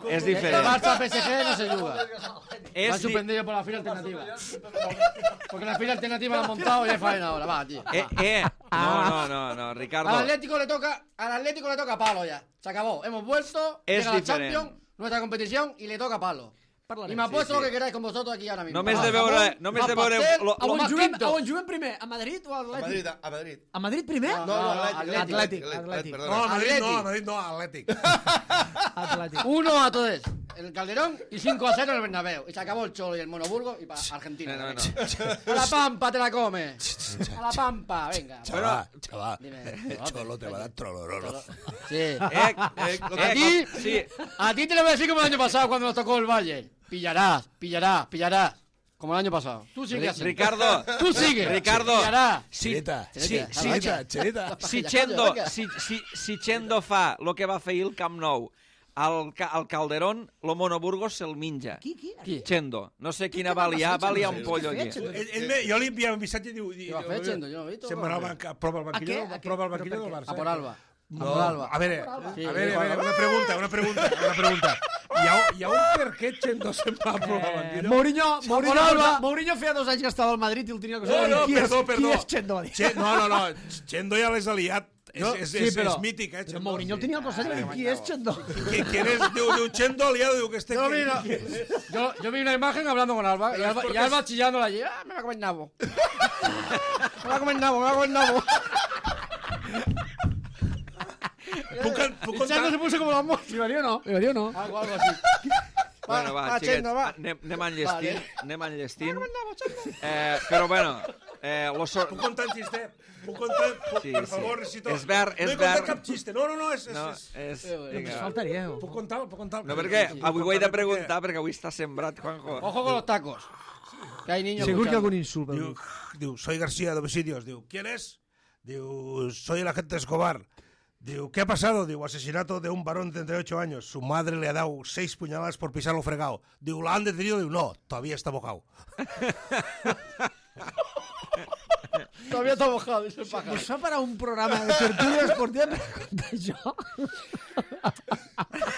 És El diferent. Barça P S G no se juega. És Lo han di- suspendido por la fila alternativa. Porque la fila alternativa la han montado y es faena ahora. Va, tío. Eh, eh, no, no, no, no, Ricardo. Al Atlético le toca, al Atlético le toca palo ya. Se acabó. Hemos vuelto, Es llega la diferent. Champions, nuestra competición y le toca palo. Parlarem. Y me apuesto Sí, sí. lo que queráis con vosotros aquí ahora mismo. Només Va, de veure, jamón, només va de veure pastel, lo, A lo, on, más juguem, quinto. a on juguem primer? A Madrid o a A Madrid, l'Atlètic? a Madrid. A Madrid primer? No, No, no, no, Atlètic. Atlètic, Atlètic, Atlètic. perdona. No, a Madrid Atlètic. no, a Madrid no, Atlètic. Atlètic. Uno a todos. El Calderón y cinco a cero en el Bernabéu. Y se acabó el Cholo y el Monoburgo y para Argentina. No, no, no. A la Pampa te la comes. A la Pampa, venga. Chaval, chaval, Dime, el Cholo te va a dar trolorolo. Sí. Eh, Eh, lo que A ti, sí. a ti te lo voy a decir como el año pasado cuando nos tocó el Valle. Pillarás, pillarás, pillarás. Como el año pasado. Tú sigue así. Ricardo, Tú sigue. Ricardo, Pillarás. si, Cheleta, si, Cheleta, si, Cheleta. Cheleta. si, Calla, Chendo, calla, calla. si, si, si Chendo fa el que va fer ahir el Camp Nou al, ca- al Calderón, lo Monoburgos se'l minja. Qui, qui? Qui? Chendo. No sé quina què va va liar, passar, va liar Chendo? un pollo Què aquí. ha fet, Chendo? Ell, ell me, jo li enviava un missatge i diu... Què va fer, Chendo? Jo no he visto. Se'n va anar al banc- prova al banquillo, A què? A què? prova al Però banquillo per del què? Barça. A por Alba. No. A veure, Sí, a veure, sí, a veure, una pregunta, una pregunta, una pregunta. Hi ha, hi ha un per què Chendo se'n va a provar Eh, Banquillo? Mourinho, Mourinho, Alba. Mourinho feia dos anys que estava al Madrid i el tenia que No, saber. no, qui perdó, és, perdó. Qui és Chendo? Che, no, no, no, Chendo ja l'és aliat. És, Jo- és, sí, és, però- és mític, eh, Però Chendo. Mourinho el tenia al costat i va dir, qui és Chendo? Qui, ¿Quién es? Diu, diu Chendo aliado, diu que este... Yo que- vi, una, yo, yo vi una imagen hablando con Alba y Pero es Alba, y porque Alba es- chillándola allí. ¡Ah, me va a comer nabo! Me va a comer nabo, me va a comer nabo. Puc, puc Y Chendo se contar... puso como la mosca. Li va dir o no? Li va dir o no? Algo, algo así. Bueno, va, va, xiquets, Chendo, va. anem, anem enllestint, Vale. anem enllestint. Eh, però bueno, eh, lo so... Puc contar un xiste? Puc contar... Puc, Sí, per sí. favor, necessito... És ver, és no he contat ver. cap xiste. No, no, no, és... és, No, és... és... Eh, Només Vinga. faltaria. eh? Puc contar, puc contar. No, perquè avui ho he de Perquè- preguntar, perquè avui està sembrat, Juanjo. Ojo con los tacos. Que hay niños Segur que escuchando. algun insult. Diu, diu, soy García de Homicidios. Diu, ¿quién es? Diu, soy el agente Escobar. Diu, ¿qué ha pasado? Diu, asesinato de un varón de treinta y ocho años. Su madre le ha dado seis puñaladas por pisarlo fregado. Diu, ¿la han detenido? Diu, no, todavía está mojado. Todavía está mojado, dice el pájaro. Us fa parar un programa de tertúlia esportiva per contar això?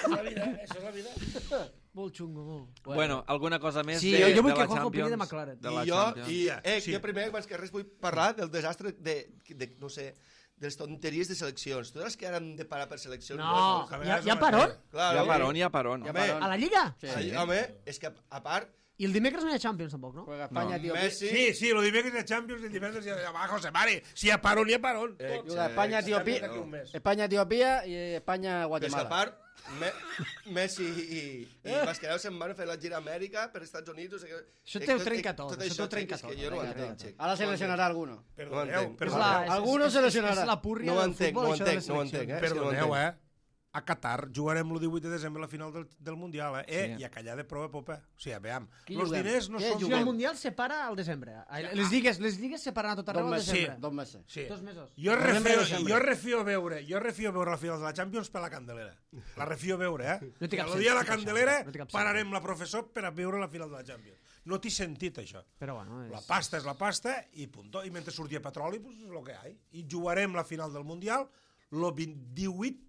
La vida, eso es la vida. Molt xungo, molt. Bueno, alguna cosa més Sí, de, jo- jo vull de que la Juanjo opini Champions? de McLaren. De la I jo, Champions. i, eh, Sí. jo primer, abans que res, vull parlar del desastre de, de no sé, de les tonteries de seleccions. Totes les que ara hem de parar per seleccions... No, a hi ha, vegades hi ha no parón? Clar, Hi ha home, paron, hi ha paron. Home, A la Lliga? Sí. ahí, home, és que a part, I el dimecres no hi ha Champions, tampoc, no? Juega España, tío. Messi... Sí, sí, lo dimecres de Champions y el divendres ya abajo se mare. Si hi ha parón, hi ha parón. Eh, Juega España, Etiopía, D'aquí un mes. España, Etiopía y España, Però és que a Guatemala. part, Me, Messi i, i Mascarell se'n van fer la gira a Amèrica per Estats Units. O sigui, Això eh, té ho tot- trenca eh, tot, Tot això això t'ho trenca és que tot, jo no ho trenca entenc, tot. xec. Ahora se lesionará alguno. No ho Perdoneu, entenc. És perdoneu. la, és, Algunos és, se és, lesionarà. és la púrria No ho del entenc, futbol, no ho això de les entenc, no ho seleccions. entenc, eh? És que no ho Perdoneu, entenc. eh? A Qatar jugarem el divuit de desembre la final del, del Mundial, eh? eh Sí. I a callar de prova popa. O sigui, veam, Qui els juguem? diners no Què són... O sigui, el Mundial se para al desembre. Les lligues, les lligues se paran a tot Dos arreu al meses. desembre. Sí, dos meses. Sí. Dos mesos. Jo Novembre i refio, desembre. jo refio veure, jo refio veure la final de la Champions per la Candelera. La refio veure, eh? No té cap I el sentit, dia de la això, Candelera no té cap sentit. pararem la professor per a veure la final de la Champions. No t'hi sentit, això. Però bueno, és... La pasta és la pasta i punto. I mentre surti petroli, pues és el que hi ha. I jugarem la final del Mundial el divuit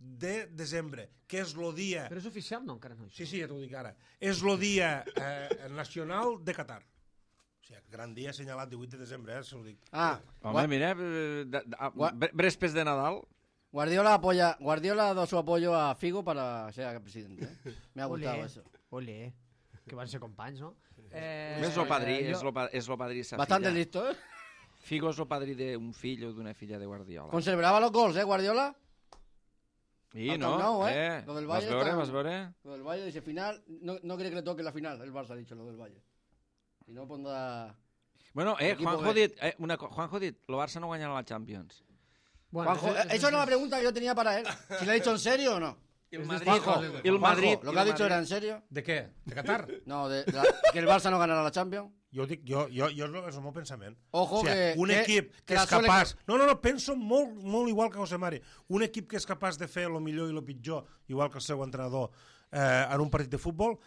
de desembre, que és el dia... Però és oficial? No, encara no. Sí, sí, ja t'ho dic ara. És el dia eh, nacional de Qatar. O sigui, gran dia assenyalat, divuit de desembre, eh, se ho dic. Ah, Home, mira, eh, de, de, a- Gua- bre- brespes de Nadal. Guardiola apoya, Guardiola ha dado su apoyo a Figo para ser presidente. ¿eh? Me ha gustado Olé, eso. Olé, que van ser companys, no? Eh, És lo padrí, jo- és lo, pa- és lo padrí sa Bastante filla. listo, ¿eh? Figo és lo padrí d'un fill o d'una filla de Guardiola. Conservaba los gols, ¿eh, Guardiola? I al no, Camp Nou, eh? eh? Lo del Vas Valle veure, tan- vas veure? Lo del Valle dice final, no, no quiere que le toque la final, el Barça ha dicho lo del Valle. Si no pondrá... Bueno, eh, Equipo Juanjo ha B. dit, eh, una, co- Juanjo ha dit, el Barça no guanyarà la Champions. Bueno, Juanjo, és- eh, és- eso era la pregunta que yo tenía para él. Si le ha dicho en serio o no. El Madrid- Juanjo, el Juanjo, Madrid- ¿lo el que ha dicho Madrid- era en serio? De què? De Qatar? No, de, la- que el Barça no ganará la Champions. Jo dic, jo, jo, jo és, el, és el meu pensament. Ojo o sigui, que- un que- equip que, que la és Sole- capaç... No, no, no, penso molt, molt igual que José Mari. Un equip que és capaç de fer el millor i el pitjor, igual que el seu entrenador, eh, en un partit de futbol,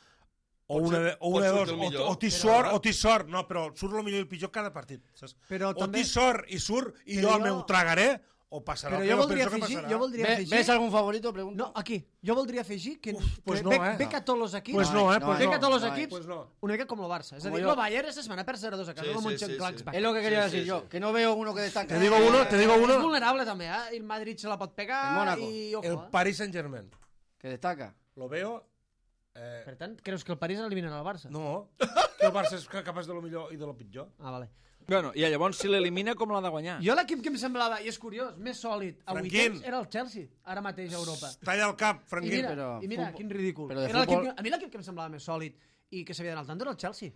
o Pot una, ser- de, o pot una de sortir dos, el o, millor. o t'hi Però- sort, o t'hi sort, no, però surt el millor i el pitjor cada partit, saps? Però o també- t'hi sort i surt i Però jo el jo- meu tragaré, o passarà Però el que jo jo voldria penso que afegir, passarà. jo voldria Ve- afegir... ¿Ves algún favorito? Pregunto. No, aquí. Jo voldria afegir que, Uf, pues que no, ve, eh? ve que tots els equips... Pues no, eh? No, Pues ve no. que tots els no, equips... Pues no. Una mica com el Barça. És a Como dir, yo. el Bayern esta setmana per zero dos a casa Sí, com sí, un sí, sí. Mönchengladbach. Es lo que quería Sí, decir sí, yo, sí. que no veo uno que destaque. Te digo uno, te digo És uno. vulnerable també, eh? El Madrid se la pot pegar El Mónaco. i... Ojo, El eh? Paris Saint-Germain. Que destaca. Lo veo... Eh, Per tant, creus que el París eliminarà el Barça? no, que el Barça és capaç de lo millor i de lo pitjor. Ah, vale. Bueno, i llavors si l'elimina com l'ha de guanyar? Jo l'equip que em semblava, i és curiós, més sòlid a Franquín. vuitens era el Chelsea, ara mateix a Europa. Talla el cap, I Franquín. mira, però i mira futbol- quin ridícul. però de Era l'equip futbol- que, a mi l'equip que em semblava més sòlid i que s'havia d'anar al tanto era el Chelsea.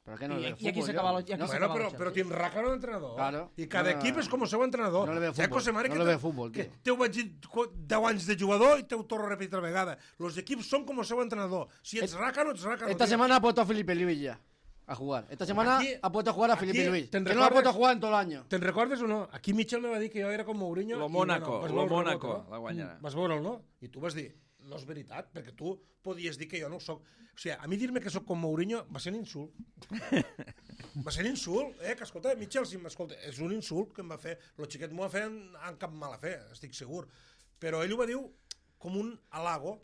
¿Pero qué no I- veo i aquí fútbol s'acaba yo? lo- i aquí No, s'acaba Bueno, el però, Chelsea. però tiene ràcano d'entrenador. Claro. I cada No, equip és com el seu entrenador. no le veo Saps, fútbol. José Mari, No que le te- veo fútbol, que tío. Teu vaig dir qu- deu anys de jugador i teu torno a repetir altra vegada. Els equips són com el seu entrenador. Si ets ràcano, ets ràcano. Esta tio. semana ha puesto a Felipe Luis ya a jugar. Esta semana Aquí- ha puesto a jugar a aquí, Felipe Luis. Que ¿te no lo ha recuerdas? puesto a jugar en todo el año. Te'n recordes o no? Aquí Mitchell me va dir que jo era com Mourinho. Lo i, Mónaco, vas lo veure el Mónaco rebot, no? la guanyarà. Vas veure'l, no? I tu vas dir, no és veritat, perquè tu podies dir que jo no ho soc. O sigui, a mi dir-me que sóc com Mourinho va ser un insult. Va ser un insult, eh? Que escolta, Mitchell, si m'escolta, és un insult que em va fer. El xiquet m'ho va fer en, en cap mala fe, estic segur. però ell ho va dir com un halago.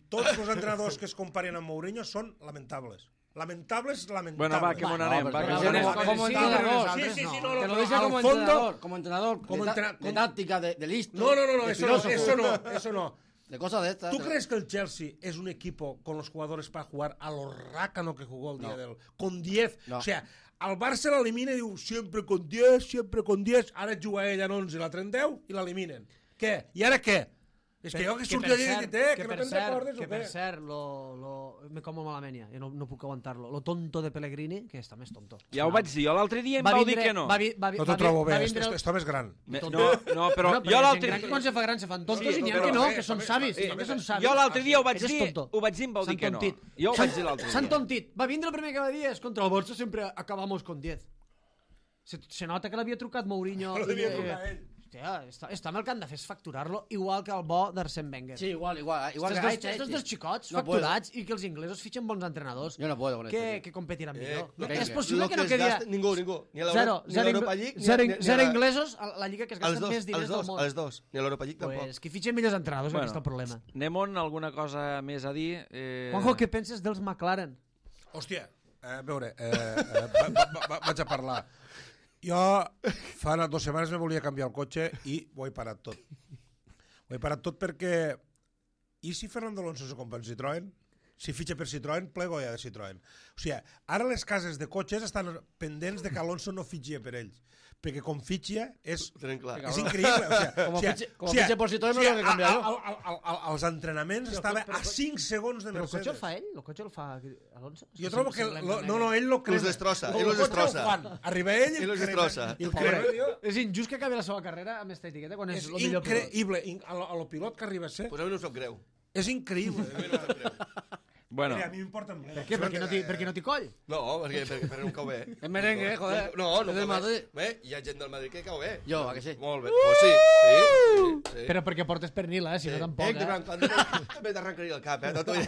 Tots els entrenadors que es comparen amb Mourinho són lamentables. Lamentables, lamentables. Bueno, va, que m'on anem. No, va, que pero m'on anem. como entrenador, Sí, sí, sí, no, no, te lo pero dice al como fondo- entrenador, como entrenador como de, ta- entrena- de táctica, de, de listo. No, no, no, no, de eso no, filósofo, eso no, eso no. de cosas de estas. ¿Tú crees que el Chelsea es un equipo con los jugadores para jugar a lo rácano que jugó el día No. del... Con diez? No. O sea, al Barça l'elimina i diu sempre con diez, sempre con diez, ara juga ell en onze i l'altre en deu i l'eliminen. Què? I ara què? És que jo que surto allà i dic, eh, que no te'n recordes o que per què? cert, lo, lo, me como malament ja, jo no, no puc aguantar-lo. Lo tonto de Pellegrini, que està més tonto. Ja ho vaig dir, jo l'altre dia em Va vau vindre- dir que no. Va, vi- va, vi- No va t'ho vi- trobo bé, va est- vindre el- est- està més gran. Me- tonto. No, no, però No, jo hi ha l'altre gent gran que quan se fa gran se fan tontos Sí, i n'hi ha però- que no, eh, que són també- savis, eh, també són savis. Jo l'altre dia ho vaig Ell és dir, tonto. ho vaig dir i em vau dir S'han que no. tontit. Jo ho vaig dir l'altre S'han dia. tontit. Va vindre el primer que va dir és contra el Barça sempre acabamos con diez. Se, se nota que l'havia trucat Mourinho. Lo i devia de- trucar ell. Hòstia, està, està amb el que han de fer és facturar-lo, igual que el bo d'Arsène Wenger. Sí, igual, igual. igual Estos, que dos, estos dos xicots No facturats i que els inglesos fitxen bons entrenadors Yo no puedo con que, esto. que competiran Eh, millor. no, és que- possible Lo que no es quedi... gasta- Ningú, ningú. Ni a Zero, l'Euro- ni a zero, l'Europa ing- League, ni a- zero, ni a- ni a zero la- inglesos a la lliga que es Els gasten dos, més diners els del dos, món. els dos. Ni a l'Europa League tampoc. Pues, que fitxen millors entrenadors, Bueno, bueno, aquí està el problema. Anem on alguna cosa més a dir? Eh... Juanjo, què penses dels McLaren? Hòstia, eh, a veure, eh, eh, va, va, va, vaig a parlar. Jo fa unes dues setmanes me volia canviar el cotxe i ho he parat tot. Ho he parat tot perquè... I si Fernando Alonso se compra en Citroën? Si fitxa per Citroën, plego ja de Citroën. O sigui, ara les cases de cotxes estan pendents de que Alonso no fitxia per ells. Perquè com fitxia és... Ho tenen clar. És increïble. O sea, Como o sea, fitxe- como o sea, fitxe por Citroën, o me sea, lo he cambiado. a- a- a- a- a- als entrenaments estava a cinc segons de Però el cotxe el Mercedes. fa ell? El cotxe el fa Alonso? És Jo trobo que... sembla Lo, negre. no, no, ell lo crema. Los destrossa, El ell los cotxe destrossa. ho fan. Arriba ell i Ell los el crema. destrossa. I el Pobre, crema, tio. és injust que acabi la seva carrera amb esta etiqueta quan és, És el millor pilot. increïble. In- A lo, a lo pilot que arriba a ser, Pues a mi no em sap greu. és increïble. Bueno, Mira, a mi m'importa molt. Per què? Perquè no té, perquè no té coll? No, perquè, perquè, perquè no em cau bé. Es merengue, joder. No, no Es del cau bé. Madrid. Bé, hi ha gent del Madrid que cau bé. Jo, a que sí? Molt bé. Pues sí, sí, sí. sí. Però perquè portes pernil, eh? Si no tampoc, Eh, que eh? en quan també t'arrencaria el cap, eh? No t'ho diré.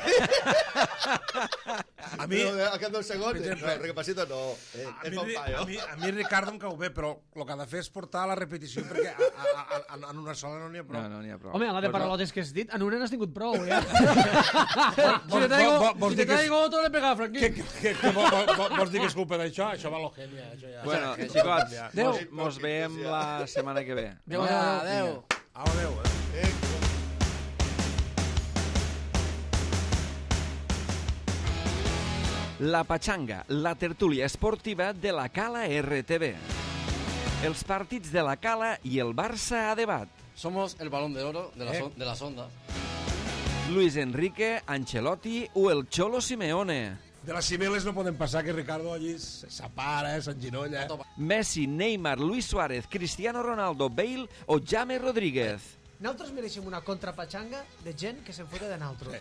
A mi, No, al cap d'un segon, Per exemple, no, recapacito no. Eh, a, és mi, bon a, paio. mi, a mi Ricardo em cau bé, però el que ha de fer és portar a la repetició perquè a, a, a, a, en una sola no n'hi ha prou. no, no n'hi ha prou. Home, a la de Pues no. paralotes que has dit, en una n'has tingut prou, eh? Si te traigo, Vo- vo- vols si te dir que és- traigo otro, le pega a Frankie. Que, que, que, que vo- vo- vo- vols dir que és culpa d'això? Això va a lo genia. Això ja. Bueno, Ja. xicots, Adéu. mos, mos veiem la setmana que ve. Adéu, adéu. Au, adéu, eh? Eh, La Pachanga, la tertúlia esportiva de la Cala R T V. Els partits de la Cala i el Barça a debat. Somos el balón de oro de, la Eh. son- de las ondas. Luis Enrique, Ancelotti o el Cholo Simeone. De les cimeles no poden passar que Ricardo allí s'apara, eh, s'enginolla. Messi, Neymar, Luis Suárez, Cristiano Ronaldo, Bale o James Rodríguez. Nosaltres mereixem una contrapatxanga de gent que se'n fota de naltro.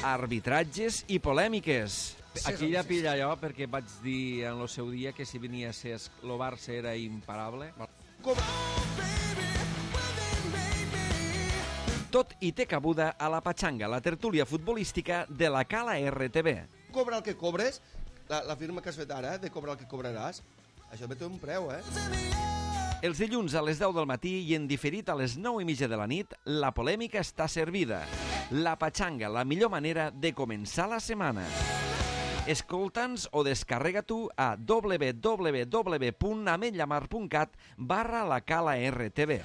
Arbitratges i polèmiques. Aquí ja pilla jo perquè vaig dir en el seu dia que si venia a ser el Barça era imparable. Tot i té cabuda a la Pachanga, la tertúlia futbolística de la Cala R T V. cobra el que cobres, la, la firma que has fet ara, de cobrar el que cobraràs, això també té un preu, eh? Els dilluns a les deu del matí i en diferit a les nou i mitja de la nit, la polèmica està servida. La Pachanga, la millor manera de començar la setmana. Escolta'ns o descarrega tu a w w w punt ametllamar punt cat barra la Cala R T V.